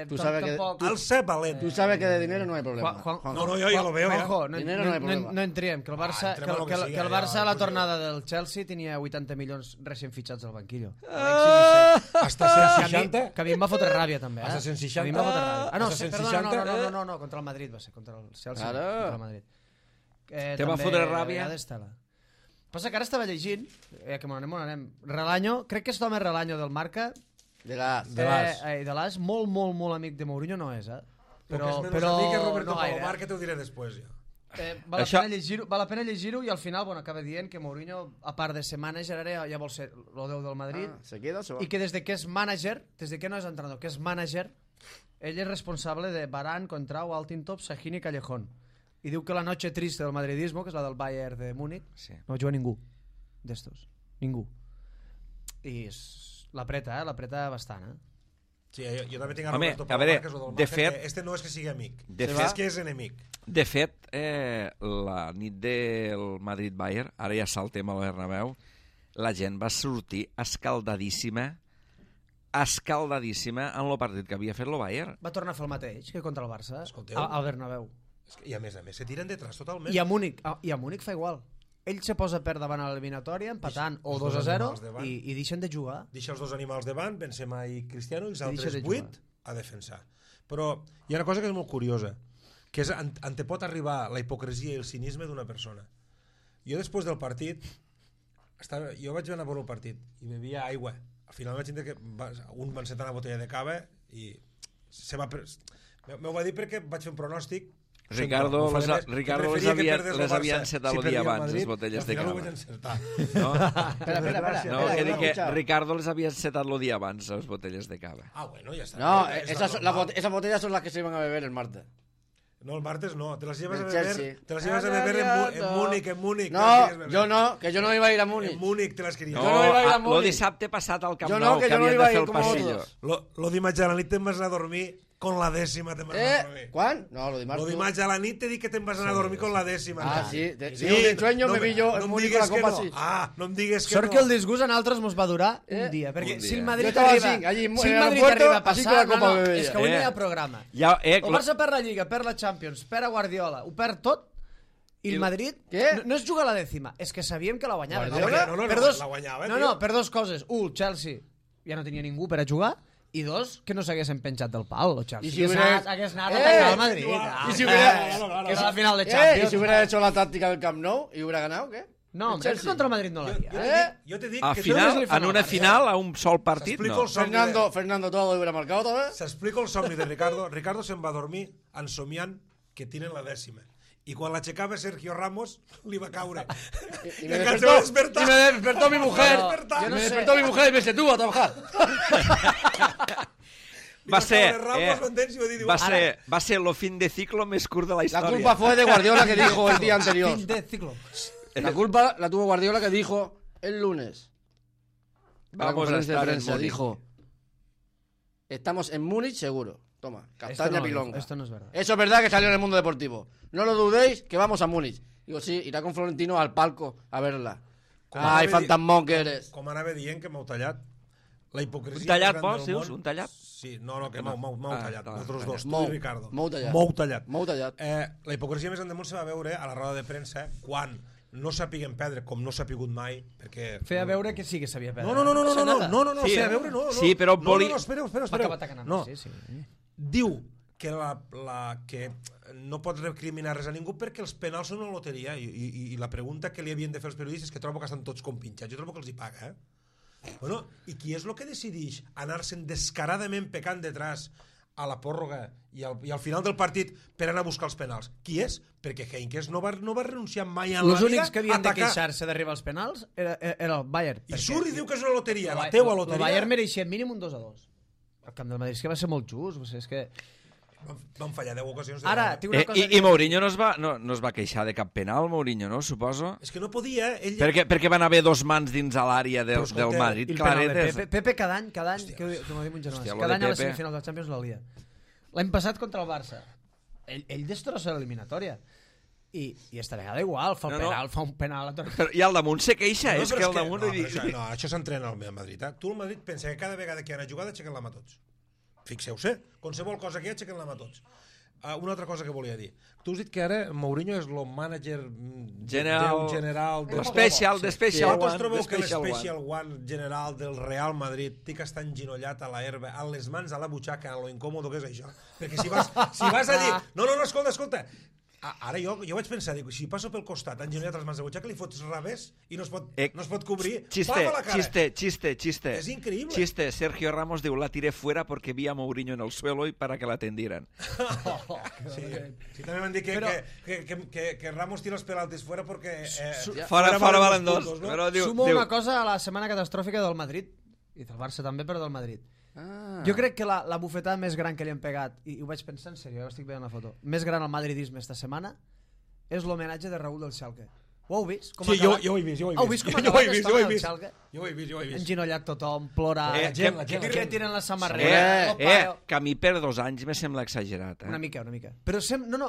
Tú sabes que al ser valent. Tú sabes que de dinero no hay problema. No, yo ya lo veo. Juanjo, dinero no hay problema. No entrem, que el Barça, que el Barça a la tornada del Chelsea tenia 80 milions recent fitxats al banquillo. Hasta 160. Que a mi em va fotre ràbia també. Hasta 160. A mi em va fotre ràbia. Perdona, no, contra el Madrid va ser, contra el Chelsea. Contra el Madrid. Te va fotre ràbia? Passa que ara estava llegint, que m'on anem, Relaño, crec que és l'home Relaño del Marca, de l'As, molt amic de Mourinho no és, però amic és Roberto Palomar, que t'ho diré després ja. Val la pena llegir-ho i al final acaba dient que Mourinho, a part de ser manager, ara ja vol ser el déu del Madrid, i que des de que és manager, des de que no és entrenador, que és manager, ell és responsable de Varane, Contrao, Altintop, Sahin i Callejón. I diu que la noche triste del madridismo, que és la del Bayern de Múnich, no juga ningú d'estos, ningú. I l'apreta bastant, Sí, jo també tinc a Roberto Palomar, que és el del Marca, que este no és que sigui amic, és que és enemic. De fet, la nit del Madrid-Bayern, ara ja saltem al Bernabéu, la gent va sortir escaldadíssima en el partit que havia fet el Bayern. Va tornar a fer el mateix que contra el Barça, al Bernabéu. I a més se tiren detrás totalment. I a Múnich fa igual. Ell se posa per davant a l'eliminatòria empatant o 2-0 i deixen de jugar. Deixa els dos animals davant, Benzema i Cristiano, i els altres 8 a defensar. Però hi ha una cosa que és molt curiosa, que és on te pot arribar la hipocresia i el cinisme d'una persona. Jo després del partit jo vaig anar a veure el partit i bevia aigua. Al final vaig entendre que un va encetar una botella de cava i m'ho va dir perquè vaig fer un pronòstic. Ricardo les havia encetat el dia abans, les botelles de cava. No, que dic que Ricardo les havia encetat el dia abans, les botelles de cava. Bueno, ya está. No, esas botellas son las que se iban a beber el martes. No, el martes no. Te las llevas a Del beber, Chelsea. te las llevas a beber en Múnich. No, yo no, que yo no iba a ir a Múnich. En Múnich te les queries. No, Jo no iba a ir a lo Múnich. dissabte passat al Camp Jo no, Nou, que que jo no havien iba de a fer ir el com passillo. vosotros. Lo dimarts a la nit te'n vas anar a dormir con la décima te'n vas anar a dormir. ¿Cuán? No, lo dimarts. Lo dimarts a la nit te dic que te'n vas anar a dormir con la décima. Ah, sí. De sueño me vi yo en Múnich con la Copa así. Ah, no em digues que Sort no. que el disgust a nosaltres mos va durar un dia, perquè un si el dia. Madrid Jo estava arriba, així, allí en si el el Madrid aeropuerto, arriba a així passar, que la Copa no, bebia. és que avui no hi ha programa. Ja, El Barça perd la Lliga, perd la Champions, perd a Guardiola, ho perd tot, i el Madrid Què? no és jugar a la dècima, és que sabíem que la guanyava. Guardiola? No, Per dos- la guanyava, no, tio. no, per dos coses. El Chelsea ja no tenia ningú per a jugar, i dos, que no s'haguessin penjat del pal, el Chelsea. I si hubiera- Hagués anat a atacar el Madrid. Y si hubiera- Que és la final de ¿Y Champions. si hubiera hecho la táctica del Camp Nou y hubiera ganado, qué? No, El hombre, és que Chelsea. contra el Madrid no l'havia. Jo te dic A que final, li fan en una al Barça. final, a un sol partit, S'explica no. el somni Fernando todo hubiera marcado otra vez. S'explica el somni de Ricardo. Ricardo se'n va a dormir ensomiant que tienen la dècima. I quan l'aixecava Sergio Ramos, li va caure. Y I me encara se despertó, va despertar. y me despertó mi mujer. No, despertar. yo no me sé. despertó mi mujer y me dice, tú a trabajar. Li Va ser, caure Ramos, m'entens? I va dir, diu, va ser el fin de ciclo més curt de la La història. culpa fue de Guardiola que dijo el día anterior. Fin de ciclo. La culpa la tuvo Guardiola que dijo el lunes. En la Vamos a conferencia de estar en prensa Múnich. dijo, estamos en Múnich seguro. Toma, Esto castaña no, pilonga. esto no es verdad. Eso es verdad que salió en el mundo deportivo. No lo dudéis, que vamos a Múnich. Digo, sí, irá con Florentino al palco a verla. Com Ai, anava fantasmón que eres. Com anava dient que m'heu tallat. La hipocresia Un tallat, més gran vols, del dius? món- Un tallat? Sí, no, que m'heu Ah, tallat. tallat, Vosaltres dos, tu Mou, i Ricardo. mou tallat. Mou tallat. Mou tallat. La hipocresia més gran del món se va veure a la roda de premsa quan no sapiguem perdre, com no s'ha pigut mai, perquè... Feia veure que sí que sabia perdre. No, Sí, feia veure, no. sí, però volia- No, espera. Va acabar atacant. No, Sí, sí. diu que que no pots recriminar res a ningú perquè els penals són una loteria i la pregunta que li havien de fer els periodistes, que trobo que estan tots compinxats, jo trobo que els hi paga, Bueno, i qui és el que decideix anar-se'n descaradament pecant detrás a la pròrroga i al final del partit per anar a buscar els penals? Qui és? Perquè Heinkes no va renunciar mai en Els la vida únics que havien de a atacar. queixar-se d'arribar als penals era el Bayern. I surt i diu que és una loteria, la El teua El loteria. Bayern mereixia mínim un 2-2. El camp del Madrid és que va ser molt just. O sigui, és que... Van fallar 10 ocasions. De Ara, gol. tinc una cosa... I Mourinho no es va queixar de cap penal, Mourinho, no? Suposo. És que no podia, ell... Perquè van haver dos mans dins a l'àrea Però del escolteu, Madrid, I el penal de claretes. Pepe cada any, que m'ho diu un germà, Hòstia, lo cada de any a la Pepe. semifinal del Champions la lia. L'any passat contra el Barça, ell destrossa l'eliminatòria. I esta vegada igual, fa un penal a tot. Però, i al damunt se queixa, és però que al damunt... no, això s'entrena al Madrid. Tu al Madrid pensa que cada vegada que hi ha una jugada aixequen la mà tots. Fixeu-se, qualsevol cosa que hi ha aixequen la mà tots. Una altra cosa que volia dir. Tu has dit que ara Mourinho és el mànager general de Special Vosaltres One. trobeu que l'Special One general del Real Madrid té que estar enginollat a la herba, amb les mans a la butxaca, a lo incòmodo que és això? Perquè si vas a dir... No, escolta. Ara jo vaig pensar, dic, si passo pel costat enginollat a les mans de butxaca, li fots revés i no es pot cobrir. Pam a la cara. Chiste. Es increíble. Chiste. Sergio Ramos diu, la tiré fuera porque vi a Mourinho en el suelo y para que la atendieran. Sí, també m'han dit que Ramos tira els penaltis fuera perquè... Fora valen dos. Puntos, no? Però Sumo una cosa a la setmana catàstrofica del Madrid, i del Barça també, però del Madrid. Jo crec que la bufetada més gran que li han pegat, i ho vaig pensar en sèrio, estic veient la foto, més gran al madridisme esta setmana és l'homenatge de Raúl del Schalke. Ho heu vist? Sí, jo ho he vist. Heu vist com ha acabat l'estona del Schalke? Jo ho he vist. Enginollat tothom, plorar, que tiren la samarreta, que a mi per 2 anys me sembla exagerat. Una mica. Però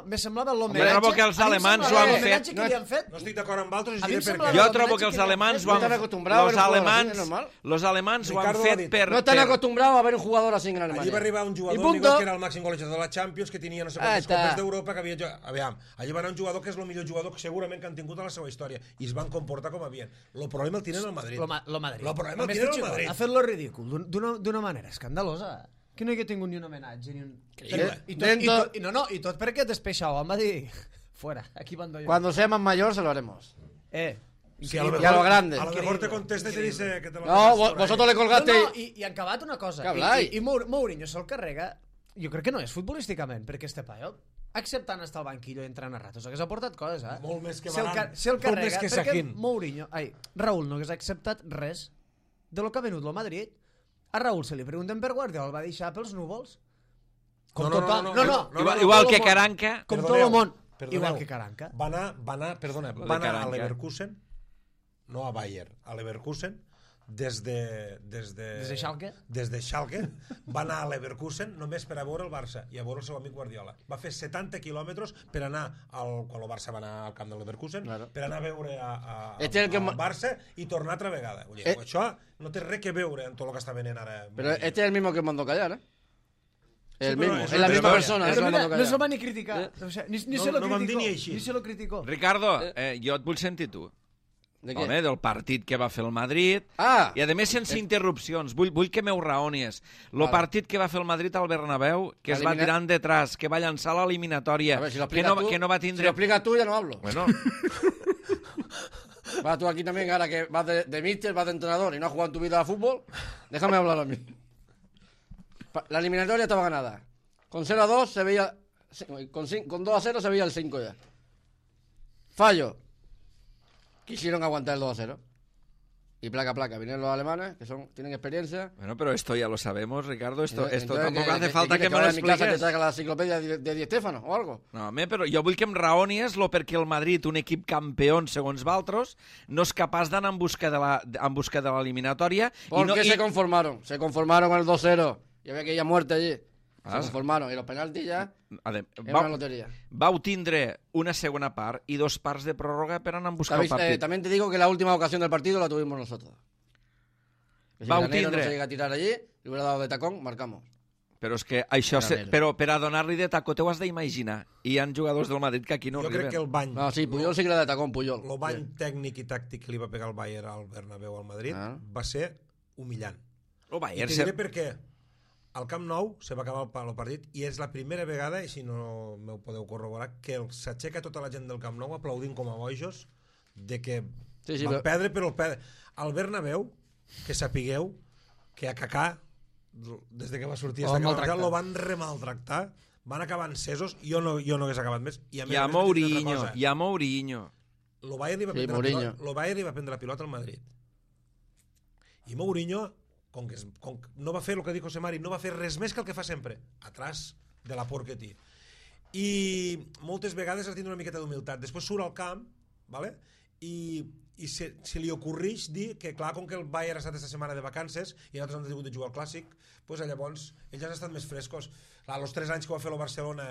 me semblava Jo l'homenatge... trobo que els alemanys ho han fet. L'homenatge que li han fet... No estic d'acord amb altres, A mi em diré per sembla què. Jo trobo que els alemans ho han los alemans ho han Ricardo ha fet dit, per... No están acostumbrados a ver un jugador así en Alemania. Allí va arribar un Y jugador, punto. igual que era el màxim golejador de la Champions, que tenia no sé quantes Està. copes d'Europa, que havia jugat... Aviam, allí va anar un jugador que és el millor jugador que segurament que han tingut a la seva història, i es van comportar com havien. El problema el tenen al Madrid. Lo Madrid. El problema el Més tenen al pitjor, Madrid. ha fet lo ridícul d'una manera escandalosa. Que no hi ha tingut ni un homenatge ni un... I tot perquè despeixau va dir fuera, aquí mando yo. Cuando seamos mayores se lo haremos. Sí, Y a lo grande. A lo mejor te contesta y te dice que te lo No, vosotros le colgaste... I han acabat una cosa. Què habláis? I Mourinho se'l carrega, jo crec que no és futbolísticament, perquè este paio, acceptant estar al banquillo i entrant a ratos, hagués aportat coses, Molt més que Se'l Varane. carrega, Molt més que perquè Sahin. Raúl no hagués acceptat res de lo que ha venut lo Madrid. A Raúl se li pregunten per Guardiola, el va deixar pels núvols. Com No, no, tothom. no, No, no, no. no, Igual tot que el món. Caranca. Com tot Perdoneu, el món. perdoneu. Igual que Caranca. Va anar Caranca. a Leverkusen, no a Bayern, a Leverkusen, des de Schalke? Des de Schalke, va anar a Leverkusen només per a veure el Barça i a veure el seu amic Guardiola. Va fer 70 quilòmetres per anar, quan el Barça va anar al camp del Leverkusen, Claro. per anar a veure al Barça i tornar altra vegada. Vull dir, això no té res que veure amb tot el que està venent ara. Pero este es el mismo que mandó callar, ¿eh? El pero mismo, es es la una misma historia. persona. Pero que lo mira, mandó no se lo callar. va ni criticar. O sea, ni No, se lo no vam dir criticó. ni així. Ni se lo criticó. Ricardo, jo et vull sentir tu. ¿De qué? Home, del partit que va fer el Madrid. Ah! I a més sense interrupcions. Vull que m'ho raonies. El Vale. partit que va fer el Madrid al Bernabéu, que es va Elimina- tirant detrás, que va llançar l'eliminatòria, A ver, si lo que, explicas no, tú, que no va si lo tindre... explicas tú, ya no hablo. Bueno, Vas tú aquí también, ahora que vas de míster, vas de entrenador y no has jugado en tu vida a fútbol, déjame hablar a mí. La eliminatoria estaba ganada. Con 0-2 se veía... Con 2-0 se veía el 5 ya. Fallo. Quisieron aguantar el 2-0. Y placa, vinieron los alemanes, que tienen experiencia. bueno, pero esto ya lo sabemos, Ricardo. Esto Entonces, tampoco hace falta que me lo vaya a mi casa te expliques. traiga la enciclopedia de Di Stéfano o algo. No, home, però jo vull que em raonies lo perquè el Madrid, un equip campió segons Valtros, no és capaç d'anar en busca de l'eliminatòria. Porque se conformaron. Se conformaron con el 2-0. Y había que ir a muerte allí. Ah, Se conformaron. Y los penaltis ya... Es una Vau, lotería. vau tindre una segona part i 2 parts de pròrroga per anar en buscar el partit. También te digo que la última ocasión del partido la tuvimos nosotros. Que si Vau Granero tindre. no se llega a tirar allí, le hubiera dado de tacón, marcamos. Però és que això... Granero. Però per a donar-li de tacó t'ho has d'imaginar. I hi ha jugadors del Madrid que aquí no Jo crec arriben. que el bany... No, sí, Puyol sí que le da de tacón, Puyol. El bany tècnic i tàctic que li va pegar el Bayern al Bernabéu al Madrid va ser humillant. El I Bayern... te diré per què. Al Camp Nou se va acabar el partit i és la primera vegada, i si no m'ho podeu corroborar, que s'aixeca tota la gent del Camp Nou aplaudint com a bojos de que Sí, van però- perdre, però el perdre. Al Bernabéu, que sapigueu que a Kaká, des de que va sortir Lo van maltractar. lo van remaltractar, van acabar encesos, jo no hagués acabat més. I a més Hi ha a més, t'he dit una Mourinho, cosa. hi ha Mourinho. Lo Bayern li va Sí, prendre Mourinho. la pilota, lo Bayern li va prendre la pilota al Madrid. I Mourinho, com que no va fer el que diu José Mari, no va fer res més que el que fa sempre, atrás de la por que té. I moltes vegades has de tindre una miqueta d'humilitat. Després surt al camp, ¿vale? i se li ocorreix dir que, clar, com que el Bayern ha estat aquesta setmana de vacances i nosaltres hem tingut de jugar al Clàssic, doncs llavors ells han estat més frescos. Clar, els 3 anys que va fer el Barcelona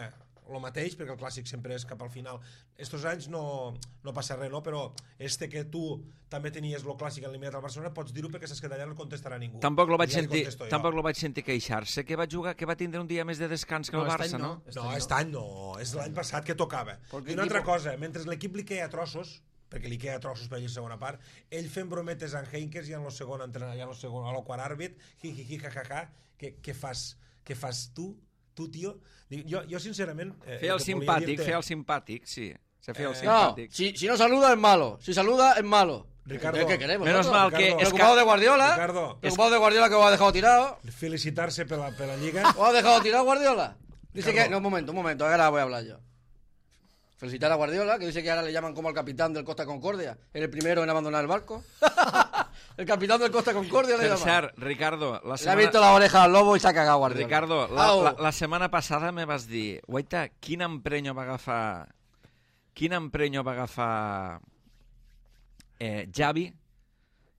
el mateix, perquè el Clàssic sempre és cap al final. Estos anys no passa res, no? Però que tu també tenies el Clàssic eliminat al Barcelona, pots dir-ho perquè saps que d'allà no contestarà ningú. Tampoc lo vaig Ja li sentir, contesto jo. tampoc lo vaig sentir queixar-se que va jugar, que va tindre un dia més de descans que el No, Barça, aquest any no? no. No, aquest any no, és l'any passat que tocava. I una altra cosa, mentre l'equip li queia trossos, perquè li queia trossos per allà a la segona part, ell fent brometes en Heinkes i en el segon entrenador, i en el segon, a lo quart àrbit, ja, què fas tu, tio? Jo sincerament... Fer el simpàtic, sí. Se feia el No, simpàtic. si no saluda es malo. Si saluda es malo. Ricardo, ¿Qué queremos? Menos nosotros? mal que Ricardo, es Preocupado de Guardiola. Ricardo, Preocupado de Guardiola que os ha dejado tirado. felicitar-se per la Lliga. ¿Os ha dejado tirado Guardiola? Dice Ricardo. que... No, un momento, ahora voy a hablar yo. Felicitar a Guardiola, que dice que ahora le llaman como al capitán del Costa Concordia. Era el primero en abandonar el barco. El capitán del Costa Concordia le Per llaman. cert, Ricardo, Le ha visto la oreja al lobo y se ha cagado Guardiola. Ricardo, Au. la setmana passada me vas dir, guaita, quin emprenyo va agafar Xavi,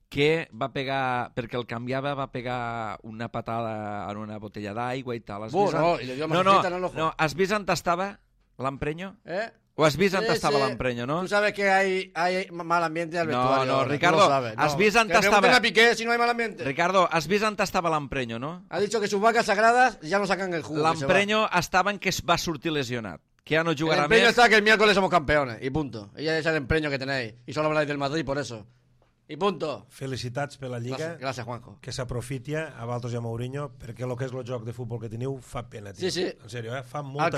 que va pegar, perquè el canviava, va pegar una patada en una botella d'aigua i tal. Has vist No, y le dio más en el ojo. no, has vist on estava l'emprenyo? ¿Eh? O has vist on Sí, estava sí. l'emprenyo, no? Tú sabes que hay mal ambiente al No, vestuario. no, ahora, tú Ricardo, lo sabes, has visto Que antes pregunten estaba- a Piqué si no hay mal ambiente. Ricardo, has vist on estava l'emprenyo, no? Ha dicho que sus vacas sagradas ya no sacan el jugo. que se va. L'emprenyo estava en que es va sortir lesionat, que ja no El jugarà empeño més. está que el miércoles somos campeones. Y punto. Ella es el empeño que tenéis. Y solo habláis del Madrid por eso. Y punto. Felicitats per la Lliga. Gracias, Juanjo. Que s'aprofiti a Valtos i a Mourinho, perquè el que és el joc de futbol que teniu fa pena, tio. Sí, sí. En sèrio, fa molta Al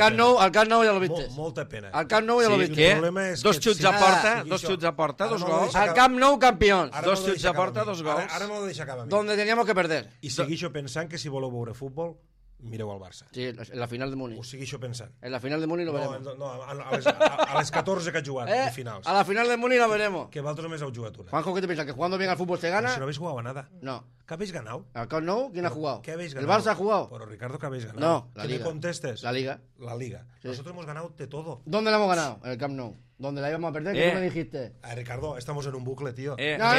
Camp Nou ya lo viste. Molta pena. Al Camp Nou ya lo Sí, viste. què? El problema és Dos que xuts si- a porta, sigui dos això. xuts a porta, Ara dos no lo gols. deixa Al Camp Nou campeón. Ara Dos me lo xuts deixa a porta, acabar dos mi. gols. Ara me lo deixa acabar a mi. Donde teníamos que perder. I seguixo pensant que si voleu veure futbol, mireu el Barça. Sí, en la final de Múnich. Ho segueixo pensant. En la final de Múnich lo veremos. No, a les 14 que ha jugat, de finals. A la final de Múnich lo veremos. Que vosaltres només heu jugat una. Juanjo, ¿qué te piensas? ¿Que jugando bien al fútbol se gana? Si no habéis jugado a nada. No. ¿Qué habéis ganado? ¿Al Camp Nou? ¿Quién ha jugado? ¿Qué habéis ¿El ganado? Barça ha jugado? Pero Ricardo, ¿qué habéis ganado? No, la ¿Qué Liga. me contestes? La Liga. La Liga. Sí. Nosotros hemos ganado de todo. ¿Dónde la hemos ganado? En el Camp Nou. ¿Dónde la íbamos a perder? ¿Qué tú me dijiste? Ricardo, estamos en un bucle, tío. No.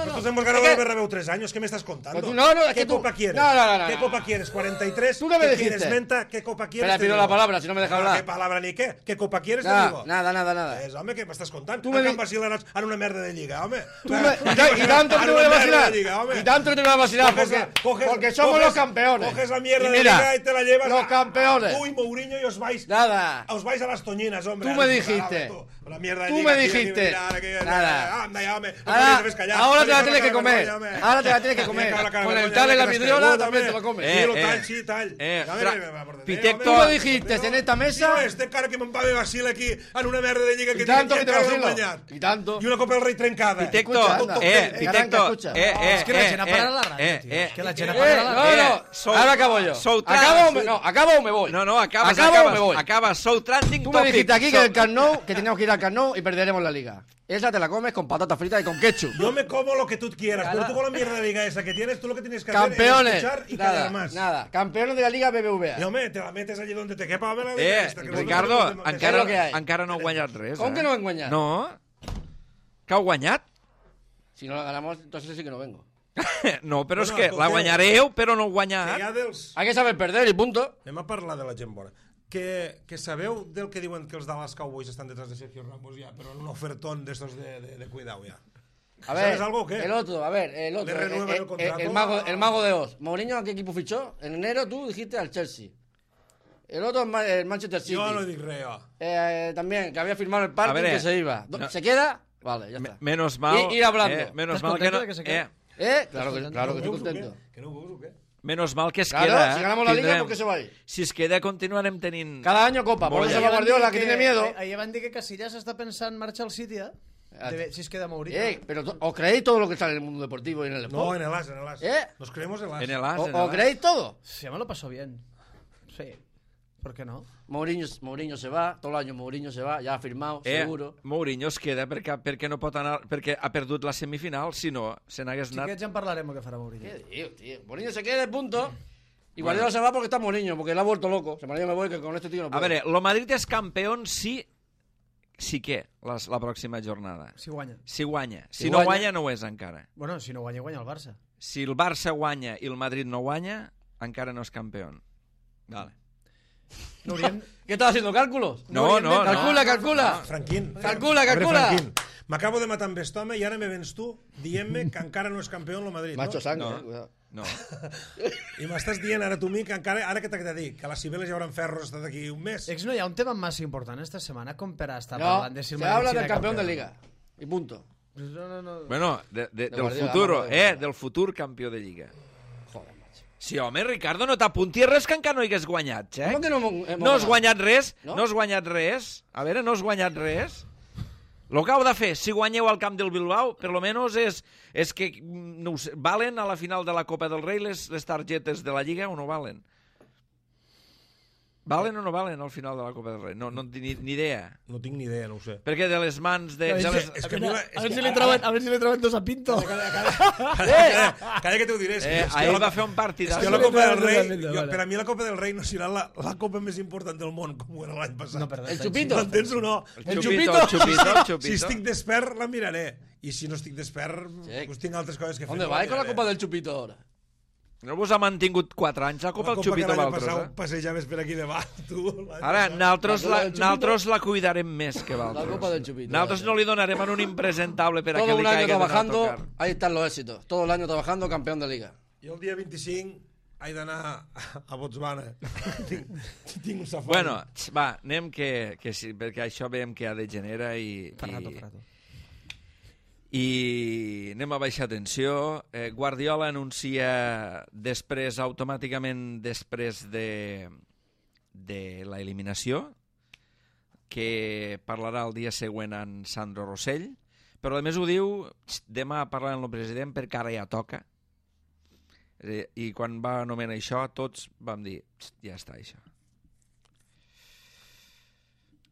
Nosotros hemos ganado el Bernabéu 3 años. ¿Qué me estás contando? Pero tú- no, es ¿Qué que tú- copa quieres? No. ¿Qué copa quieres? 43. Tú no me ¿Qué dijiste. quieres? Menta. ¿Qué copa quieres? Espera, Te pido digo. la palabra, si no me deja hablar. ¿Qué palabra ni qué? ¿Qué copa quieres? Te digo. Nada. És, home, què m'estàs contant? Tu me El di- Camp Basil en una merda de lliga, home. Y tanto que te voy a vacilar. Y tanto que te voy a vacilar, porque somos los campeones. Coges la mierda Y de mira, liga y te la llevas. los campeones. Tú y Mourinho y os vais. Nada. Os vais a las toñinas, hombre. Tú me dijiste. La mierda de Tú liga, me tío, dijiste. Nada. Anda ya, hombre. No te Ahora debes callar. ahora te la Con tienes que cara de comer. vergonya, hombre. Ahora te la tienes que comer. Con la cara de Con el vergonya, tal en la que has vidriola cregut, también te home. lo comes. Sí, lo tall, sí, tall. Pitecto, tú me dijiste en esta mesa. Tio, este cara que me'n va de vacil aquí en una merda de lliga que Y tanto que te encara no hem vacilo. guanyat. Y tanto. I una Copa del Rei trencada. Pitecto, Escucha, anda. Pitecto, Escucha. És que la gent apagarà la ràdio, tio. És que la gent apagarà la ràdio. No, ahora acabo yo. Southern. ¿Acabo o me voy? No, acabas, ¿Acabo o me voy? acabas. So trending Tú me topic. dijiste aquí que el Camp Nou, que teníamos que ir al Camp Nou y perderemos la liga. Esa te la comes con patatas fritas y con ketchup. Yo me como lo que tú quieras, pero tú con la mierda de liga esa que tienes, tú lo que tienes que hacer Campeones. es escuchar y callar Nada, más. nada. Campeones de la Liga BBVA. Y hombre, te la metes allí donde te quepa a ver la liga esta, que Ricardo, nosotros no és lo que hi ha. encara no heu guanyat res. Com que no hem guanyat? No. Que heu guanyat? Si no la ganamos, entonces sí que no vengo. No, però és Bueno, que la escolteu. guanyareu, però no heu Que guanyat. ja dels... Hay que saber perder y punto. Anem a parlar de la gent bona. Que sabeu del que diuen que els Dallas Cowboys estan detrás de Sergio Ramos ya, pero en un ofertón de estos de cuidado ya. A ver, ¿Sabes algo o qué? el otro, el otro. Le renuevan el contrato. El mago de Oz. Mourinho, ¿a qué equipo fichó? En enero tú dijiste al Chelsea. El otro, el Manchester City. Jo no dic res, jo. También, que había firmado el parking A ver, que se iba. no. ¿Se queda? Vale, ya está. Menos mal... Ir hablando. menos ¿Estás mal que contento no... de que se quede? Claro que estoy veus o contento. què? Que no ho veus o què? Menos mal que es Claro, queda. si ganamos la liga, Tindrem- ¿por qué se va a ir? Si es queda, continuarem tenint... Cada año copa. Por eso Bolla. se va Guardiola, que tiene miedo. Ahir van dir que Casillas està pensant marxar al City, si es queda Mourinho. Pero ¿os creéis todo lo que sale en el mundo deportivo y en el No, sport? en el as, en el as. Nos creemos el as. En el as, en el ¿Os as. creéis todo? Sí, me lo pasó bien. Sí. ¿Por qué no? Mourinho se va, todo el año Mourinho se va, ya ha firmado, seguro. Mourinho es queda perquè no pot anar... Perquè ha perdut la semifinal, si no, se n'hagués anat... Xiquets, ja en parlarem el que farà Mourinho. ¿Qué digo, tío? Mourinho se queda, punto. Y Guardiola se va porque está Mourinho, porque le ha vuelto loco. Se me voy, que con este tío no A puedo. veure, lo Madrid és campió sí que la pròxima jornada. Si guanya. Si guanya. Si Si no guanya- guanya, no ho és encara. Bueno, si no guanya, guanya el Barça. Si el Barça guanya i el Madrid no guanya, encara no és campió. Vale. No hauríem... ¿Qué estás haciendo? ¿Cálculos? No. Calcula. Franquín. Calcula. A veure, Franquín, m'acabo de matar amb aquest home i ara me vens tu dient-me que encara no és campió en el Madrid, Macho no? sangre, No. cuidado. No. I m'estàs dient ara tu a mi que encara, ara que t'he de dir, que les Cibeles ja hauran ferros d'aquí un mes. Ex, no hi ha un tema massa important esta setmana com per a estar No, parlant de si se el Madrid habla serà del campeón de liga. Y punto. No. Bueno, del Guardiola, futuro, vamos a ver. del futur campió de Lliga. Joder, macho. Sí, home, Ricardo, no t'apuntis res que encara no hagués guanyat, Xec. ¿Cómo que no hemos No has ganado? guanyat res? No? No has guanyat res? A veure, no has guanyat res? Lo que heu de fer, si guanyeu al camp del Bilbao, per lo menos és que no ho sé, valen a la final de la Copa del Rei les targetes de la Lliga o no valen? Valen o no valen al final de la Copa del Rei? No en tinc ni idea. No tinc ni idea, no ho sé. Perquè de les mans de... És que a mi la- és A ver que- si le trauen dos a Pinto. Calla que t'ho diré. És que Ahir la- va fer un és partidàs. que la Copa del Rei, Vale. per a mi la Copa del Rei no serà la Copa més important del món, com ho era l'any passat. No, perdó. El chupito. M'entens o no? El xupito. Si estic despert, la miraré. I si no estic despert, Sí. pues tinc altres coses que fer. ¿Dónde vais con la copa del chupito ahora? No vos ha mantingut 4 anys la Copa el Xupito que l'any Valtros, passat passejaves per aquí davant, tu. Ara, nosaltres La Copa del Xupito. nosaltres la cuidarem més que La Valtros. copa del chupito. Nosaltres no li donarem a un impresentable per a que Todo li un año caiga d'anar a trabajando, tocar. ahí están los éxitos. Todo el año trabajando, campeón de liga. Jo el dia 25 he d'anar a Botswana. tinc un safari. Bueno, va, anem que sí, perquè això veiem que ha degenera i anem a baixar tensió. Guardiola anuncia automàticament després de l'eliminació, que parlarà el dia següent amb Sandro Rossell, però a més ho diu demà parlant amb el president perquè ara ja toca. I quan va anomenar això, tots vam dir, ja està, això.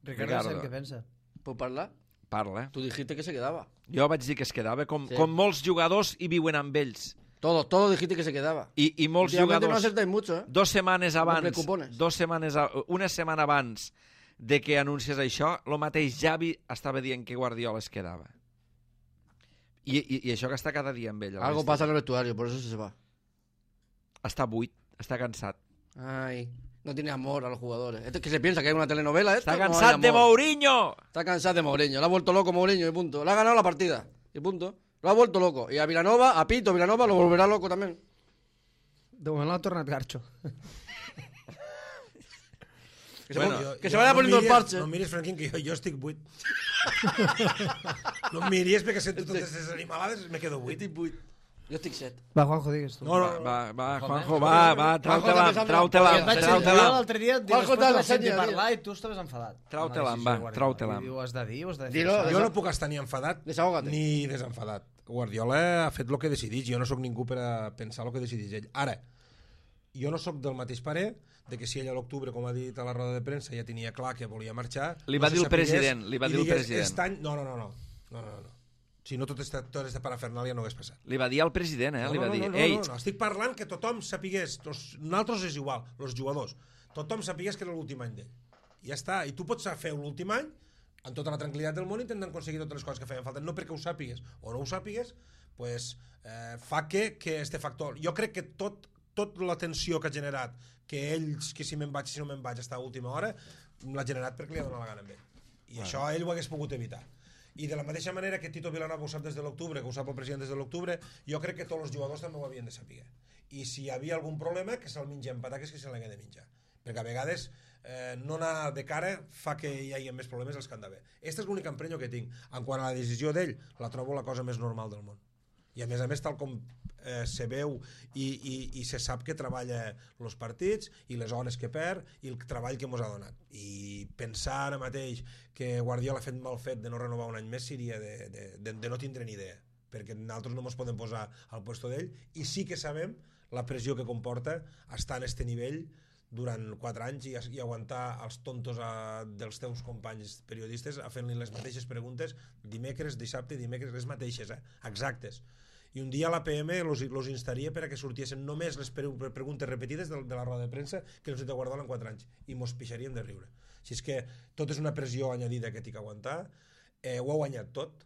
Ricardo, què pensa? ¿Puedo parlar? Parla. Tú dijiste que se quedaba. Jo vaig dir que es quedava, com molts jugadors hi viuen amb ells. Todo dijiste que se quedaba. I molts Últimamente jugadors... no acertáis mucho, ¿eh? 2 setmanes abans, precupones. una setmana abans de que anunciés això, el mateix Xavi estava dient que Guardiola es quedava. I això que està cada dia amb ell. Algo pasa en el vestuario, por eso se va. Està buit, està cansat. Ay, no tiene amor a los jugadores. Esto es que se piensa que hay una telenovela, esto. Està no hay cansat de amor. Mourinho! Está cansado de Mourinho. Le ha vuelto loco Mourinho y punto. Le ha ganado la partida y punto. Lo ha vuelto loco. Y a Vilanova, a Pito Vilanova, lo volverá loco también. De moment l'ha tornat garxo. Que se vaya poniendo el parche. No miris, Franquín, que jo estic buit. No em miris perquè sento totes aquestes animalades me quedo buit. Jo estic set. Va, Juanjo, digues tu. No, Va, Juanjo, va, trau-te-la, Jo l'altre dia, Juanjo, després de dale, sentir senyora, parlar, i tu estaves enfadat. Trau-te-la, Amb la decisió va, de Guardiola. trau-te-la. I ho has de dir, ho has de Dilo, defensar. jo no puc estar ni enfadat Desahógate. ni desenfadat. Guardiola ha fet el que decidís, jo no sóc ningú per a pensar el que decidís ell. Ara, jo no sóc del mateix parer de que si ell a l'octubre, com ha dit a la roda de premsa, ja tenia clar que volia marxar... Li va no dir se el president, sapigués li va i dir el digués, president. "Aquest any-" No. Si no, tota aquesta parafernàlia no hagués passat. Li va dir al president, li va dir, ei, No. Estic parlant que tothom sapigués, nosaltres és igual, els jugadors, tothom sapigués que era l'últim any d'ell. I ja està, i tu pots fer l'últim any amb tota la tranquil·litat del món intentant aconseguir totes les coses que feien falta, no perquè ho sàpigues o no ho sàpigues, pues, fa que este factor, jo crec que tot la tensió que ha generat, que ells, que si me'n vaig, si no me'n vaig, està a última hora, l'ha generat perquè li ha donat la gana amb ell. I això ell ho hagués pogut evitar. I de la mateixa manera que Tito Vilanova ho sap des de l'octubre, que ho sap el president des de l'octubre, jo crec que tots els jugadors també ho havien de saber. I si hi havia algun problema, que se'l mengem pataques, que se l'hagué de menjar. Perquè a vegades no anar de cara fa que hi hagi més problemes dels que han d'haver. Este és l'únic emprenyo que tinc. En quant a la decisió d'ell, la trobo la cosa més normal del món. I a més, tal com se veu i se sap que treballa els partits i les hores que perd i el treball que ens ha donat. I pensar ara mateix que Guardiola ha fet mal fet de no renovar un any més seria de no tindre ni idea, perquè nosaltres no ens podem posar al puesto d'ell, i sí que sabem la pressió que comporta estar en este nivell durant 4 anys i aguantar els tontos dels teus companys periodistes a fent-li les mateixes preguntes dimecres, dissabte, dimecres, les mateixes, exactes. I un dia l'APM els instaria per a que sortissin només les preguntes repetides de la roda de premsa que els de Guardiola en 4 anys, i mos pixaríem de riure. Així és que tot és una pressió añadida que t'hi que aguantar. Ho ha guanyat tot,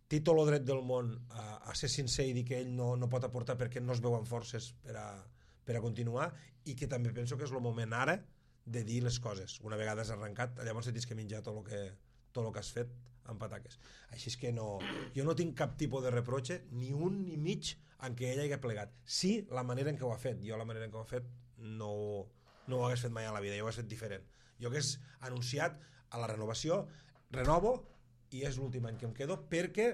té tot el dret del món a ser sincer i dir que ell no pot aportar perquè no es veuen forces per a continuar, i que també penso que és el moment ara de dir les coses. Una vegada has arrencat, llavors tens que menjar tot el que has fet amb pataques. Així és que jo no tinc cap tipus de reproche, ni un ni mig, en què ell hagi plegat. Sí, la manera en què ho ha fet. Jo la manera en què ho ha fet no ho hagués fet mai a la vida, jo ho hagués fet diferent. Jo hagués anunciat a la renovació, renovo, i és l'últim any que em quedo, perquè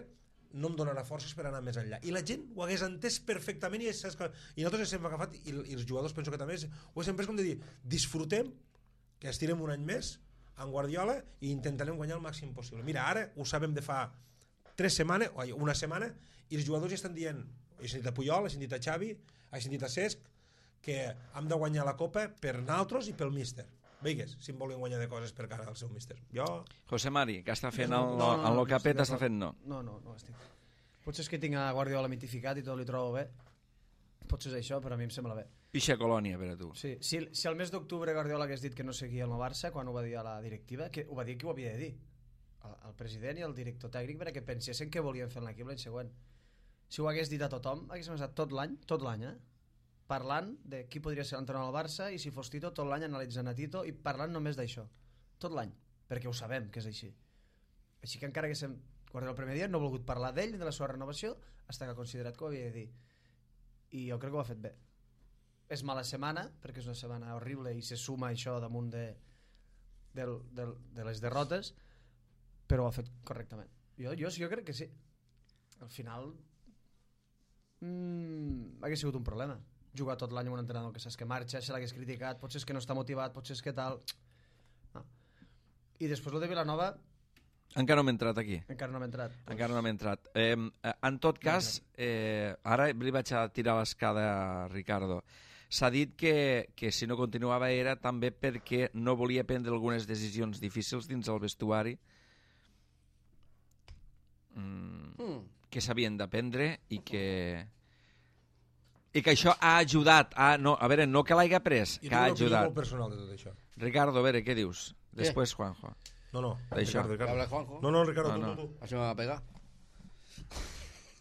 no em donarà forces per anar més enllà. I la gent ho hagués entès perfectament, i nosaltres hem agafat, i els jugadors penso que també ho hem pres com de dir, disfrutem, que estirem un any més en Guardiola i intentarem guanyar el màxim possible. Mira, ara ho sabem de fa 3 setmanes, o una setmana, i els jugadors ja estan dient, he sentit a Puyol, he sentit a Xavi, he sentit a Cesc, que hem de guanyar la Copa per nosaltres i pel míster. Veigues, si em volen guanyar de coses per cara al seu míster. Jo... José Mari, que està fent el lo que ha fet, està fent no. No estic. Potser és que tinc a Guardiola mitificat i tot li trobo bé. Potser és això, però a mi em sembla bé. Pixa colònia per a tu. Sí, si al mes d'octubre Guardiola hagués dit que no seguia el Barça, quan ho va dir a la directiva, que ho va dir que ho havia de dir el president i el director tècnic, perquè pensessin que volien fer l'equip l'any següent. Si ho hagués dit a tothom, haguéssim estat tot l'any, parlant de qui podria ser l'entrenador del Barça, i si fos Tito, tot l'any analitzant a Tito i parlant només d'això, tot l'any, perquè ho sabem que és així. Així que encara haguéssim Guardiola el primer dia no ha volgut parlar d'ell, de la seva renovació, fins que ha considerat que ho havia de dir. I jo crec que ho ha fet bé. És mala setmana, perquè és una setmana horrible i se suma això damunt de les derrotes, però ho ha fet correctament. Jo crec que sí. Al final hagués sigut un problema jugar tot l'any amb un entrenador que saps que marxa, se l'hagués criticat, potser és que no està motivat, potser és que tal no. I després el de Vilanova Encara no m'he entrat aquí. Encara no m'he entrat. Encara no m'he entrat. En tot cas, ara li vaig a tirar l'escada a Ricardo. S'ha dit que si no continuava era també perquè no volia prendre algunes decisions difícils dins el vestuari que s'havien de prendre i que això ha ajudat a veure, no que l'hagi pres, que ha Jo tinc una opinió ajudat. molt personal de tot això. Ricardo, a veure, què dius? Després Juanjo. No, Això. Ricardo. ¿Habla Juanjo? No, Ricardo, No. tú. Así me va a pegar.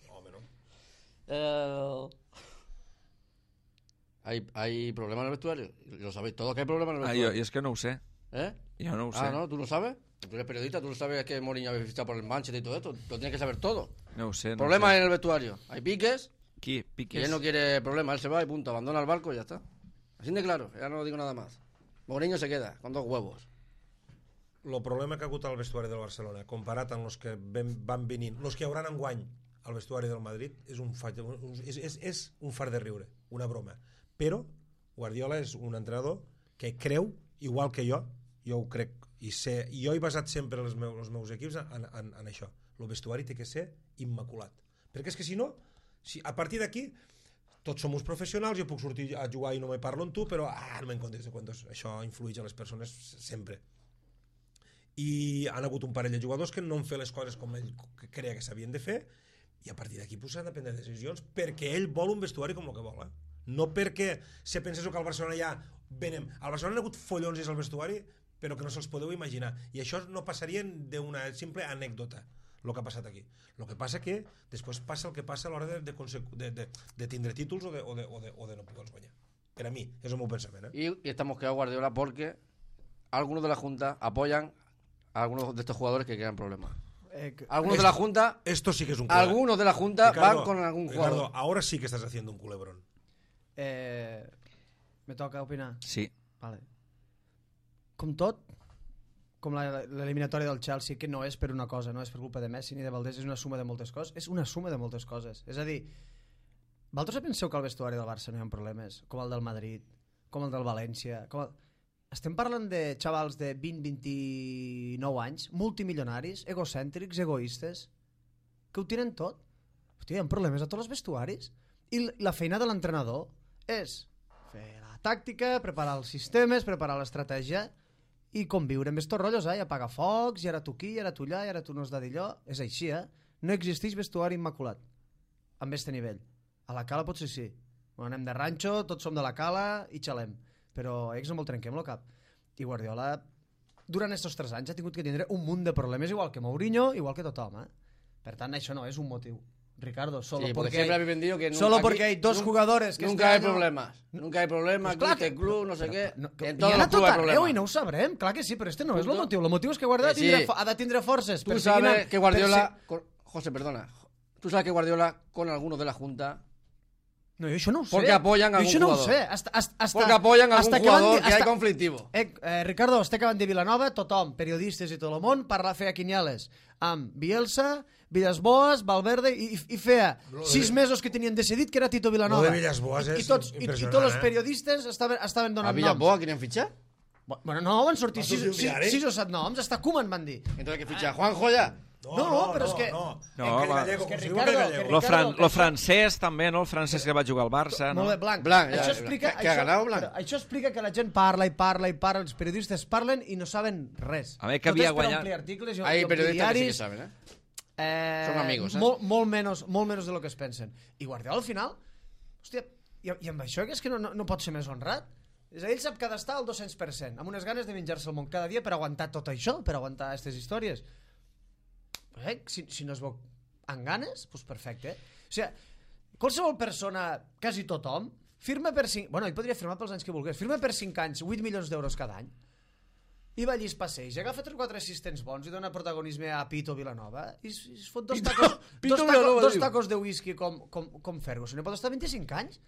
Home, no. ¿Hay problemas en el vestuario? Lo sabéis todos que hay problemas en el Jo vestuario. és que no ho sé. ¿Eh? Jo no ho sé. Ah, ¿no? ¿Tú lo sabes? Tú eres periodista, tú lo sabes que Mourinho había fichado por el Manchester y todo esto. Lo tienes que saber todo. No ho sé. Problemas en el vestuario. Hay piques, Qui? y Piques? él no quiere problemas. Él se va y punto. Abandona el barco y ya está. Así de claro. Ya no digo nada más. Mourinho se queda con 2 huevos. El problema que ha hagut al vestuari del Barcelona comparat amb els que van venint, els que hi hauran enguany al vestuari del Madrid, és un far de riure, una broma. Però Guardiola és un entrenador que creu, igual que jo ho crec, i jo he basat sempre els meus equips en això. El vestuari té que ser immaculat. Perquè és que si no, a partir d'aquí tots som uns professionals, jo puc sortir a jugar i no me parlo amb tu, però no me'n comptes de quantos. Això influeix a les persones sempre. I han hagut un parell de jugadors que no han fet les coses com ell creia que s'havien de fer, i a partir d'aquí s'han de prendre decisions perquè ell vol un vestuari com el que vol, no perquè se pensés que al Barcelona ja venem. Al Barcelona ha hagut follons al vestuari, però que no se'ls podeu imaginar, i això no passaria d'una simple anècdota el que ha passat aquí. El que passa que després passa el que passa a l'hora de tindre títols o de no poder-los guanyar. Per a mi, és el meu pensament. Y estamos quedados Guardiola porque algunos de la Junta apoyan a algunos de estos jugadores que crean problemas. Algunos de la Junta, Esto sí que es un culebrón. algunos de la Junta Ricardo, van con algún Ricardo, jugador. ahora sí que estás haciendo un culebrón. Me toca opinar? Sí. Vale. Com tot, com l'eliminatòria del Chelsea, que no és per una cosa, no és per culpa de Messi ni de Valdés, és una suma de moltes coses. És una suma de moltes coses. És a dir, vosaltres penseu que al vestuari del Barça no hi ha problemes, com el del Madrid, com el del València... Estem parlant de xavals de 20-29 anys, multimilionaris, egocèntrics, egoistes, que ho tiren tot. Hòstia, hi ha problemes a tots els vestuaris. I la feina de l'entrenador és fer la tàctica, preparar els sistemes, preparar l'estratègia i conviure amb estos rotllos, i apagar focs, i ara tu aquí, i ara tu allà, i ara tu no has de dir allò. És així, No existeix vestuari immaculat amb este nivell. A la Cala potser sí. Bueno, anem de ranxo, tots som de la Cala i xalem. Però ells no me'l trenquem el cap. I Guardiola, durant aquests 3 anys, ha tingut que tindre un munt de problemes, igual que Mourinho, igual que tothom. Per tant, això no és un motiu. Ricardo, solo Sí, porque porque siempre habéis vendido que solo aquí porque hay dos jugadores que nunca este hay año... problemas. Nunca hay problemas, Pues clar aquí este que- club, no sé però- qué. no, En hi todos ha los a tot clubes hay arreu problemas. i no ho sabrem, clar que sí, però este no és el Punto. motiu. El motiu és que Guardiola Que sí. ha de tindre forces. Tú per seguir sabes anant- que Guardiola... per José, perdona. Tú sabes que Guardiola, con algunos de la Junta... No, jo això no ho sé. Porque apoyan a Jo algún això no ho jugador. sé. Hasta, Porque apoyan a algún hasta que van jugador dir- que hay hasta- conflictivo. Ricardo, estic acabant de Vilanova, tothom, periodistes i tot el món, feia quiniales amb Bielsa, Villas-Boas, Valverde, i feia 6 mesos que tenien decidit que era Tito Vilanova. Lo de Villas-Boas és I tots impressionant, els periodistes estaven ¿A donant noms. Villas-Boas quieren fichar? Bueno, no, van sortir Vas sortir un diari? 6 o 7 noms, hasta Koeman van dir. Entonces que ficha a Juanjo ya. No, però és que- No, Aquell va. gallego, És que com si diu Ricardo, aquell gallego. Lo francès també, no? El francès que va jugar al Barça, no? Molt bé, Blanc. Blanc, ja, això ja. explica, Que ha ganat Blanc. però això explica que la gent parla i parla i parla, els periodistes parlen i no saben res. A veure, que Tot havia és per guanyat- omplir articles i Hay omplir periodistas que sí que diaris. saben, ¿eh? Són amigos, molt menys de lo que es pensen. I Guardiola al final, hòstia, i amb això que és que no pot ser més honrat. És a dir, ell sap que ha d'estar al 200%, amb unes ganes de menjar-se el món cada dia per aguantar tot això, per aguantar aquestes històries. Si no es veu amb ganes, doncs perfecte. O sigui, qualsevol persona, quasi tothom, firma per 5... Bueno, ell podria firmar pels anys que volgués. Firma per 5 anys, 8 milions d'euros cada any. I va allí es passeig, agafa 3 o 4 assistents bons i dona protagonisme a Pito Vilanova i es fot dos tacos de whisky com Ferguson. I pot estar 25 anys.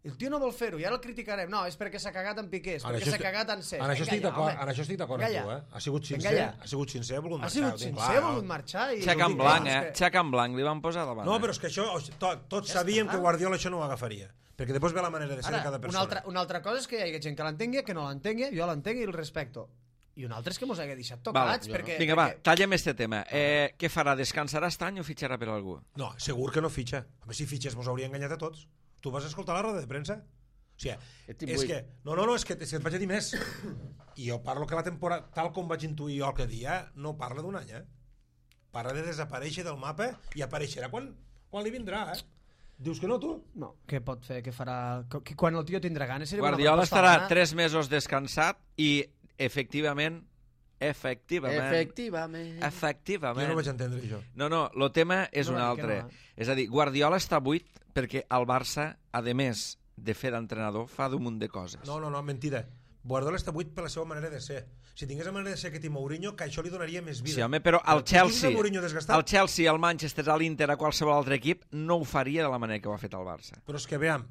El tio no vol fer-ho, i ara el criticarem. No, és perquè s'ha cagat en Piqués, perquè s'ha cagat en Cesc. En això estic d'acord amb tu, Ha sigut sincer, ha volgut Ha marxar. sigut sincer, ha volgut marxar. Xec en blanc, Xec en blanc, li van posar davant. No, però és que això, tots sabíem que Guardiola això no ho agafaria, perquè després ve la manera de ser de cada persona. Una altra cosa és que hi hagi gent que l'entengui, que no l'entengui, jo l'entenc i el respecto. i un altre és que mos hagué deixat tocats. Perquè, Vinga, va, tallem este tema. Què farà? Descansarà este any o fitxarà per algú? No, segur que no fitxa. A veure, si fitxes mos hauria enganyat a tots. Tu vas escoltar la roda de premsa? O sigui, és que... No, és que et vaig a dir més. I jo parlo que la temporada, tal com vaig intuir jo el que dia, no parla d'un any, Parla de desaparèixer del mapa i apareixerà quan li vindrà, Dius que no, tu? No, què pot fer, què farà... Quan el tio tindrà ganes... Guardiola estarà 3 mesos descansat i efectivament... Efectivament. Jo no vaig entendre això. No, el tema és un altre. És a dir, Guardiola està buit perquè el Barça, a més de fer d'entrenador, fa d'un munt de coses. No, mentida. Guardiola està buit per la seva manera de ser. Si tingués la manera de ser aquest i Mourinho, que això li donaria més vida. Sí, home, però el Chelsea, el Manchester, a l'Inter, a qualsevol altre equip, no ho faria de la manera que ho ha fet el Barça. Però és que, veiem,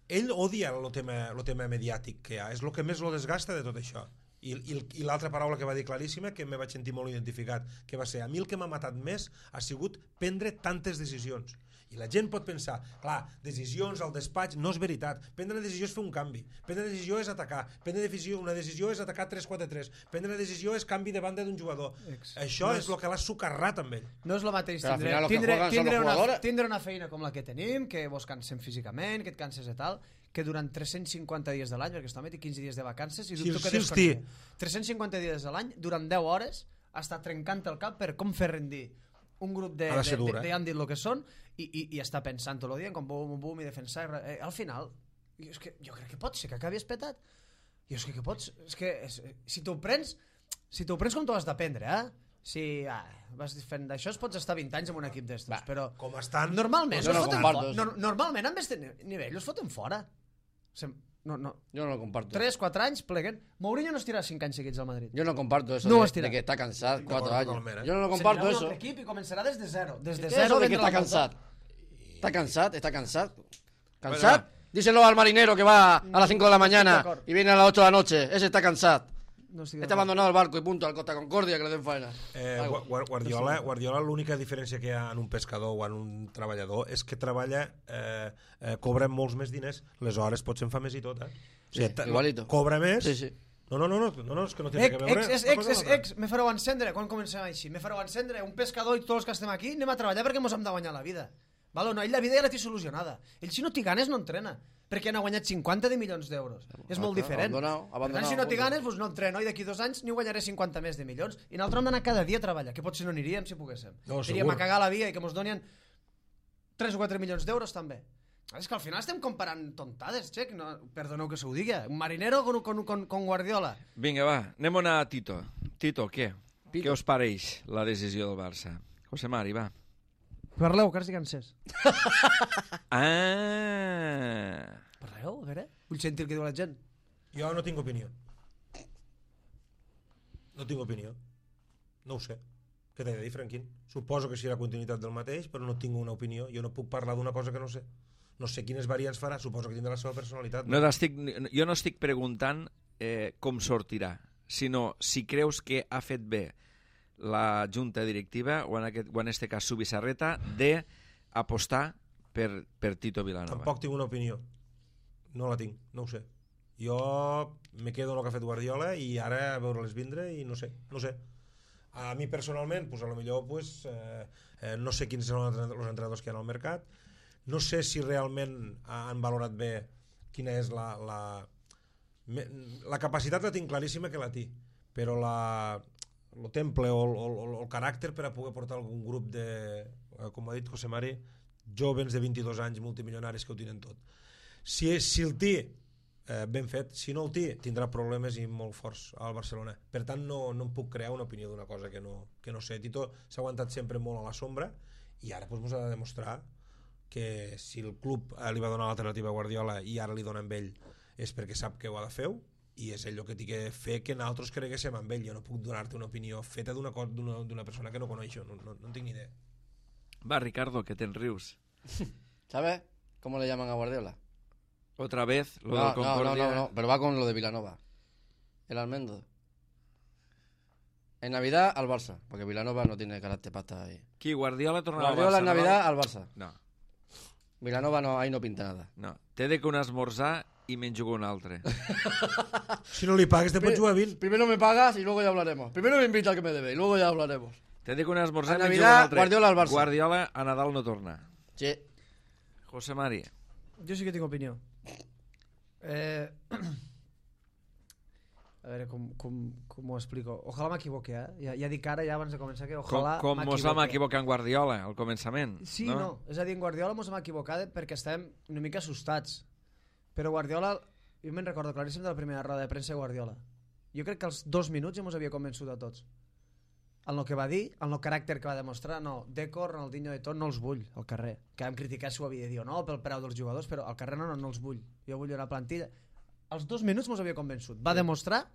ell odia el tema mediàtic que hi ha. És el que més lo desgasta de tot això. I l'altra paraula que va dir claríssima, que me vaig sentir molt identificat, que va ser: a mi el que m'ha matat més ha sigut prendre tantes decisions. I la gent pot pensar, clar, decisions al despatx, no és veritat. Prendre una decisió és fer un canvi. Prendre una decisió és atacar. Una decisió és atacar 3-4-3. Prendre una decisió és canvi de banda d'un jugador. Això és el que l'ha sucarrat amb ell. No és el mateix tindre una feina com la que tenim, que vos cansem físicament, que et canses i tal, que durant 350 dies de l'any, perquè està met 15 dies de vacances, i dubto que desconnecti. 350 dies de l'any, durant 10 hores, està trencant el cap per com fer rendir un grup de han dit el que són i està pensant tot el dia com bum i defensar. Al final, jo crec que pot ser que acabi espetat. Jo és que pots... Si t'ho prens com t'ho has d'aprendre, si vas fent d'això pots estar 20 anys en un equip d'estos, però com estan... Normalment amb este nivell els foten fora. No. Jo no lo comparto. 3-4 anys pleguen. Mourinho no estirà 5 anys seguits al Madrid. Yo no comparto eso de que está cansado 4 años. Yo no lo comparto eso. Equip i començarà des de zero. Eso de que está cansado. Está cansado. ¿Cansado? Díselo al marinero que va a las 5 de la mañana y viene a las 8 de la noche. Ese está cansado. Está abandonado el barco y punto, al Costa Concordia, que le den faena. Guardiola, l'única diferència que hi ha en un pescador o en un treballador és que treballa, cobra molts més diners, les hores potser en fa més i tot, igualito. Cobra més. Sí. No, és que no té que veure. Me fareu encendre, quan comencem així, me fareu encendre, un pescador i tots els que estem aquí, anem a treballar perquè mos hem de guanyar la vida. Vale, no, ell la vida ja la té solucionada. Ell si no té ganes no entrena, perquè han guanyat 50 de milions d'euros. És molt diferent. Per tant, si no té ganes, doncs no entreno i d'aquí 2 anys n'hi guanyaré 50 més de milions. I nosaltres hem d'anar cada dia a treballar, que potser no aniríem si poguéssim. Iríem a cagar la via i que mos donien 3 o 4 milions d'euros també. És que al final estem comparant tontades, xec. No, perdoneu que se ho digui. Un marinero con Guardiola. Vinga, va, anem a Tito. Tito, què? Què us pareix la decisió del Barça? José Mari, va. Parleu, que ara estic cansés. Parleu, a veure. Vull sentir el que diu la gent. Jo no tinc opinió. No ho sé. Què t'he de dir, Franquín? Suposo que serà continuïtat del mateix, però no tinc una opinió. Jo no puc parlar d'una cosa que no sé. No sé quines variants farà, suposo que tindrà la seva personalitat. Jo no estic preguntant com sortirà, sinó si creus que ha fet bé la junta directiva, o en este cas Subisarreta, de apostar per Tito Vilanova. Tampoc tinc una opinió. No la tinc, no ho sé. Jo me quedo en el que ha fet Guardiola i ara a veure-les vindre i no sé. A mi personalment, pues, a lo millor pues, no sé quins són els entrenadors que hi ha al mercat, no sé si realment han valorat bé quina és la capacitat. La tinc claríssima que la té, però el temple o el caràcter per a poder portar algun grup de, com ha dit José Mari, jovens de 22 anys multimilionaris que ho tenen tot. Si el té ben fet, si no el té tindrà problemes i molt forts al Barcelona. Per tant no em puc crear una opinió d'una cosa que no sé. Tito s'ha aguantat sempre molt a la sombra i ara ens ha de demostrar que si el club li va donar l'alternativa a Guardiola i ara li dona amb ell és perquè sap que ho ha de fer i és ell el que té que fer que nosaltres creguéssim amb ell. Jo no puc donar-te una opinió feta d'una persona que no coneixo, no tinc ni idea. Va, Ricardo, que te'n rius. ¿Sabes cómo le llaman a Guardiola? Otra vez, lo del Concordia. No, pero va con lo de Vilanova. El almendro. En Navidad al Barça, porque Vilanova no tiene carácter para estar ahí. Qui, Guardiola tornarà al Barça? Guardiola en Navidad al Barça. No. Vilanova no, ahí no pinta nada. No, té de que un esmorzar y me jugo un altre. Si no li pagues, te pots jugar 20. Primero me pagas y luego ya hablaremos. Primero me invita al que me debe y luego ya hablaremos. Te dic un esmorzar A i me Navidad, jugo un altre. Guardiola al Barça. Guardiola a Nadal no torna. Sí. José Mari. Jo sí que tinc opinió. A veure, com ho explico? Ojalà m'equivoqui, Ja dic ara, ja abans de començar, que ojalà Com mos vam equivocar en Guardiola al començament. Sí, no? És a dir, en Guardiola mos vam equivocar perquè estàvem una mica assustats. Però Guardiola, jo me'n recordo claríssim de la primera roda de premsa de Guardiola. Jo crec que als 2 minuts ja mos havia convençut a tots. El que va dir, el caràcter que va demostrar, no, Deco, Ronaldinho de tot, no els vull al carrer. Que vam criticar si ho havia de dir o no, pel preu dels jugadors, però al carrer no els vull. Jo vull una plantilla. Als 2 minuts mos havia convençut. Va demostrar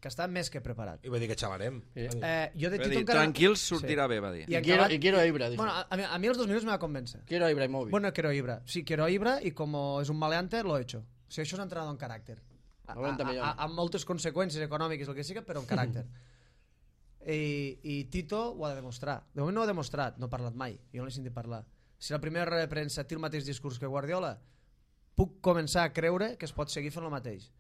que està més que preparat. I va dir que xalarem. Jo de Va Tito dir, encara... tranquils, sortirà bé, va dir. I quiero a Ibra, dijo. Bueno, a mi als 2 minuts me va convèncer. Quiero a Ibrahimovic. Bueno, quiero a Ibra. Sí, quiero a Ibra y como es un maleante, lo he hecho. O sigui, això és entrenador en caràcter. 90 milions. Amb moltes conseqüències econòmiques, el que sigui, però en caràcter. I Tito ho ha de demostrar. De moment no ho ha demostrat, no ha parlat mai. Jo no l'he sentit parlar. Si la primera roda de premsa té el mateix discurs que Guardiola, puc començar a creure que es pot seguir fent el mateix.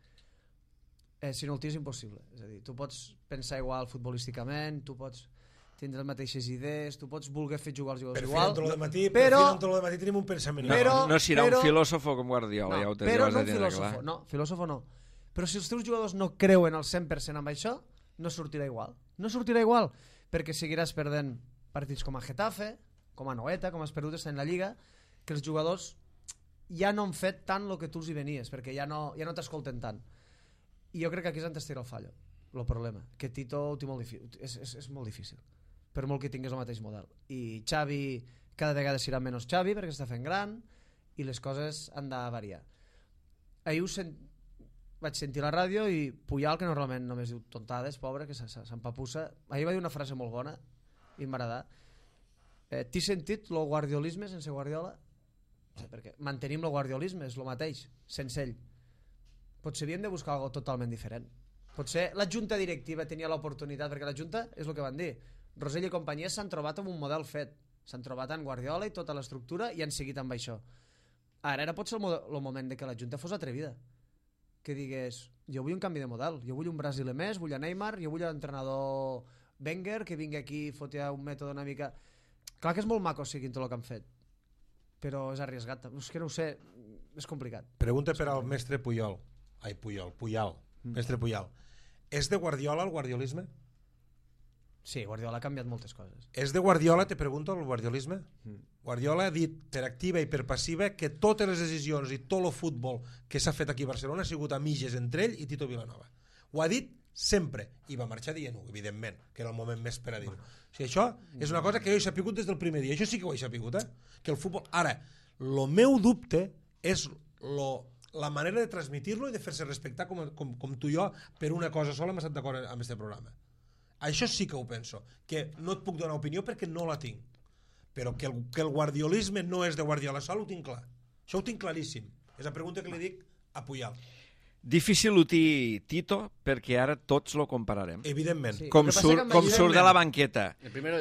Si no el té és impossible. És a dir, tu pots pensar igual futbolísticament, tu pots tindre les mateixes idees, tu pots voler fer jugar els jugadors igual, però de matí tenim un pensament. No serà un filòsofo com Guardiola, ja ho tens però no de tindre clar. No, filòsofo no. Però si els teus jugadors no creuen al 100% amb això, no sortirà igual. No sortirà igual, perquè seguiràs perdent partits com a Getafe, com a Noeta, com has perdut en la Lliga, que els jugadors ja no han fet tant el que tu els hi venies, perquè ja no t'escolten tant. I jo crec que aquí és on estira el fallo, el problema, que Tito ho té molt difícil, és molt difícil, per molt que tingués el mateix model. I Xavi cada vegada serà menys Xavi perquè està fent gran i les coses han de variar. Ahir vaig sentir la ràdio i Puyal, que normalment només diu tontades, pobre, que s'empapussa, ahir va dir una frase molt bona i m'agrada. T'he sentit el guardiolisme sense Guardiola? Sí, perquè mantenim el guardiolisme, és el mateix, sense ell. Potser havíem de buscar alguna cosa totalment diferent. Potser la junta directiva tenia l'oportunitat, perquè la junta és el que van dir. Rosell i companyia s'han trobat amb un model fet. S'han trobat en Guardiola i tota l'estructura i han seguit amb això. Ara pot ser el moment de que la junta fos atrevida. Que digués, jo vull un canvi de model, jo vull un brasiler més, vull a Neymar, jo vull l'entrenador Wenger, que vingui aquí i foti un mètode una mica... Clar que és molt maco seguint tot el que han fet, però és arriesgat. És que no ho sé, és complicat. Pregunta per al mestre Puyol. Mestre Puyol. És de Guardiola el guardiolisme? Sí, Guardiola ha canviat moltes coses. És de Guardiola, te pregunto, el guardiolisme? Guardiola ha dit per activa i per passiva que totes les decisions i tot el futbol que s'ha fet aquí a Barcelona ha sigut a mitges entre ell i Tito Vilanova. Ho ha dit sempre, i va marxar dient-ho, evidentment, que era el moment més per a dir-ho. O sigui, això és una cosa que jo he sapigut des del primer dia. Això sí que ho he sapigut, que el futbol... Ara, el meu dubte és la manera de transmitir-lo i de fer-se respectar com tu i jo per una cosa sola hem estat d'acord amb aquest programa. Això sí que ho penso, que no et puc donar opinió perquè no la tinc, però que el guardiolisme no és de Guardiola sol ho tinc clar, això ho tinc claríssim. És la pregunta que li dic a Puyol. Difícil ho té Tito perquè ara tots lo compararem. Evidentment. Sí. Com surt de la banqueta,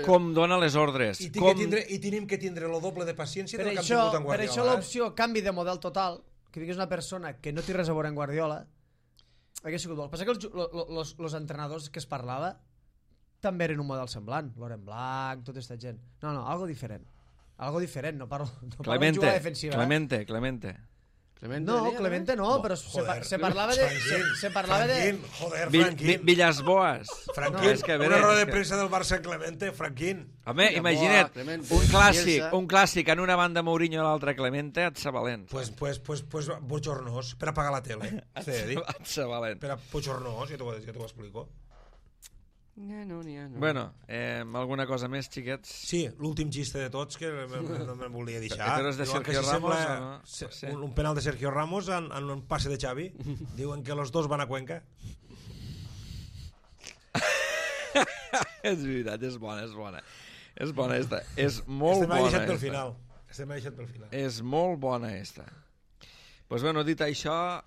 com dona les ordres. I tenim que tindre el doble de paciència del que hem tingut en Guardiola. Per això l'opció canvi de model total, que vingués una persona que no té res a veure en Guardiola, hagués sigut bo. El que passa que els entrenadors que es parlava també eren un model semblant. Loren Blanc, tota aquesta gent. No, algo diferent. Algo diferent, no parlo de jugar defensiva. Clemente. No, Clemente no, però se parlava de... Franquín, joder, Franquín. Villas-Boas. Franquín, una roda de premsa del Barça en Clemente, Franquín. Home, imagina't, un clàssic en una banda Mourinho i l'altra Clemente, et sa valent. Pues bochornós, per apagar la tele. Et sa valent. Per a bochornós, ja t'ho explico. No. Bueno, alguna cosa més, xiquets? Sí, l'últim xiste de tots que no me'n volia deixar. Però és de Sergio Ramos o no? Sí. Un penal de Sergio Ramos en un passe de Xavi. Diuen que los dos van a Cuenca. És veritat, és bona. És bona esta. És molt bona esta. Estem deixat pel final. És molt bona esta. Pues bueno, dit això,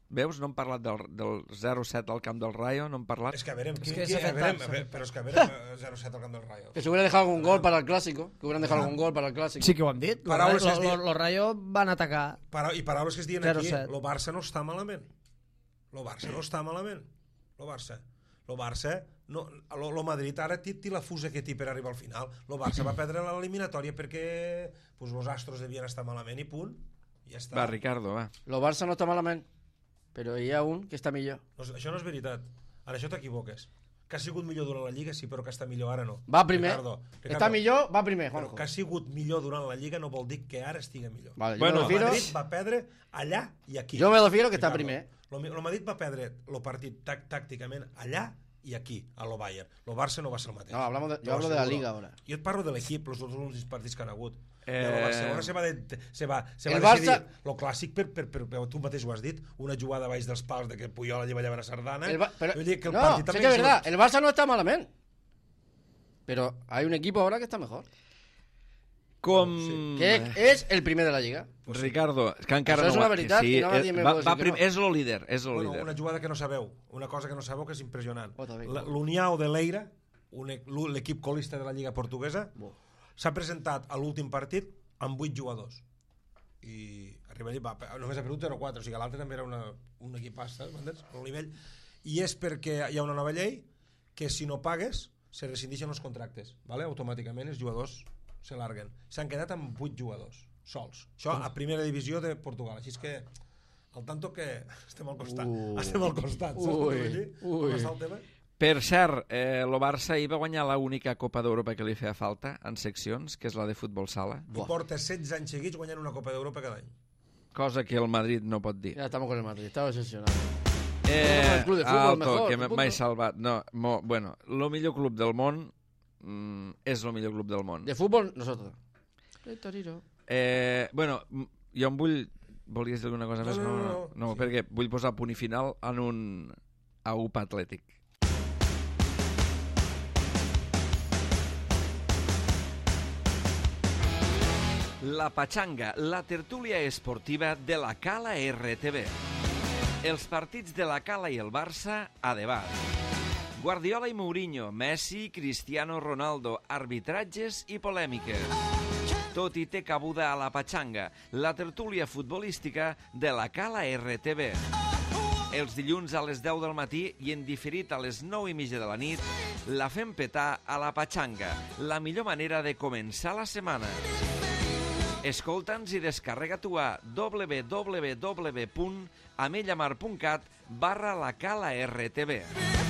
veus, no hem parlat del 0-7 al camp del Rayo, no hem parlat. És que a veure, però és que a veure, 0-7 al camp del Rayo. Que se hubiera dejado algún gol para el clásico. Que hubieran dejado algún gol para el clásico. Sí que ho han dit. Paraules que es diuen- Los Rayo van atacar. I paraules que es diuen aquí, 0-7. el Barça no està malament. El Barça no està malament. El Barça no, el Madrid ara té la fusa que té per arribar al final. El Barça va perdre l'eliminatòria perquè pues, els astros devien estar malament i punt. Ja està. Va, Ricardo, va. Lo Barça no està malament, però hi ha un que està millor. No, això no és veritat. Ara això t'equivoques. Que ha sigut millor durant la Lliga, sí, però que està millor ara no. Va primer. Ricardo, Està millor, va primer, però Juanjo. que ha sigut millor durant la Lliga no vol dir que ara estigui millor. Vale, Bueno, yo me El refiero, Madrid va perdre allà i aquí. Jo me refiero que està Ricardo, primer. El Madrid va perdre el partit tàcticament allà i aquí, a lo Bayern. El Barça no va ser el mateix. No, yo Te ho hablo de la asseguro. Liga ahora. Jo et parlo de l'equip, els últims partits que han hagut. El Barcelona se va El decidir Barça- lo clàssic per tu mateix ho has dit, una jugada baix dels pals de que Puyol lleva a Sardana. Pero, Vull dir que el no, partit sé també que es és- verdad, el Barça no está malamente. Pero hay un equipo ahora que está mejor. Com... Que es el primer de la Liga. Ricardo, és que encara Això és no... una veritat, sí, i no nadie me va, pot va dir que no. és el líder, és el Bueno, líder. una jugada que no sabeu, una cosa que no sabeu que és impressionant. Otra vez. L'União de Leira, l'equip colista de la Lliga Portuguesa, s'ha presentat a l'últim partit amb 8 jugadors. I arriba allà, només ha perdut 0-4, o sigui, l'altre també era un equipàs, m'entens? El nivell. I és perquè hi ha una nova llei que si no pagues se rescindeixen els contractes, ¿vale? Automàticament els jugadors se larguen. S'han quedat amb 8 jugadors sols. Això a primera divisió de Portugal. Així és que al tanto que estem al costat. Estem al costat. Saps com vull dir? Com està el tema? Per cert, el Barça ahir va guanyar l'única Copa d'Europa que li feia falta en seccions, que és la de futbol sala, I porta 16 anys seguits guanyant una Copa d'Europa cada any. cosa que el Madrid no pot dir. Ya estamos con el Madrid, estaba obsesionado. Eh, el club de futbol mejor, que punto. m'he salvat. No, bueno, el millor club del món és el millor club del món. De fútbol, nosotros. El Torino. Bueno, jo em vull... Volies dir alguna cosa més? No, Sí. perquè vull posar punt i final en un AUP Atlètic. La Pachanga, la tertúlia esportiva de la Cala RTV. Els partits de la Cala i el Barça a debat. Guardiola i Mourinho, Messi, Cristiano Ronaldo, arbitratges i polèmiques. Tot hi té cabuda a la Pachanga, la tertúlia futbolística de la Cala RTV. Els dilluns a les 10 del matí i en diferit a les 9:30 de la nit, la fem petar a la Pachanga, la millor manera de començar la setmana. Escolta'ns i descarrega-t'ho a www.amellamar.cat/la Cala RTV.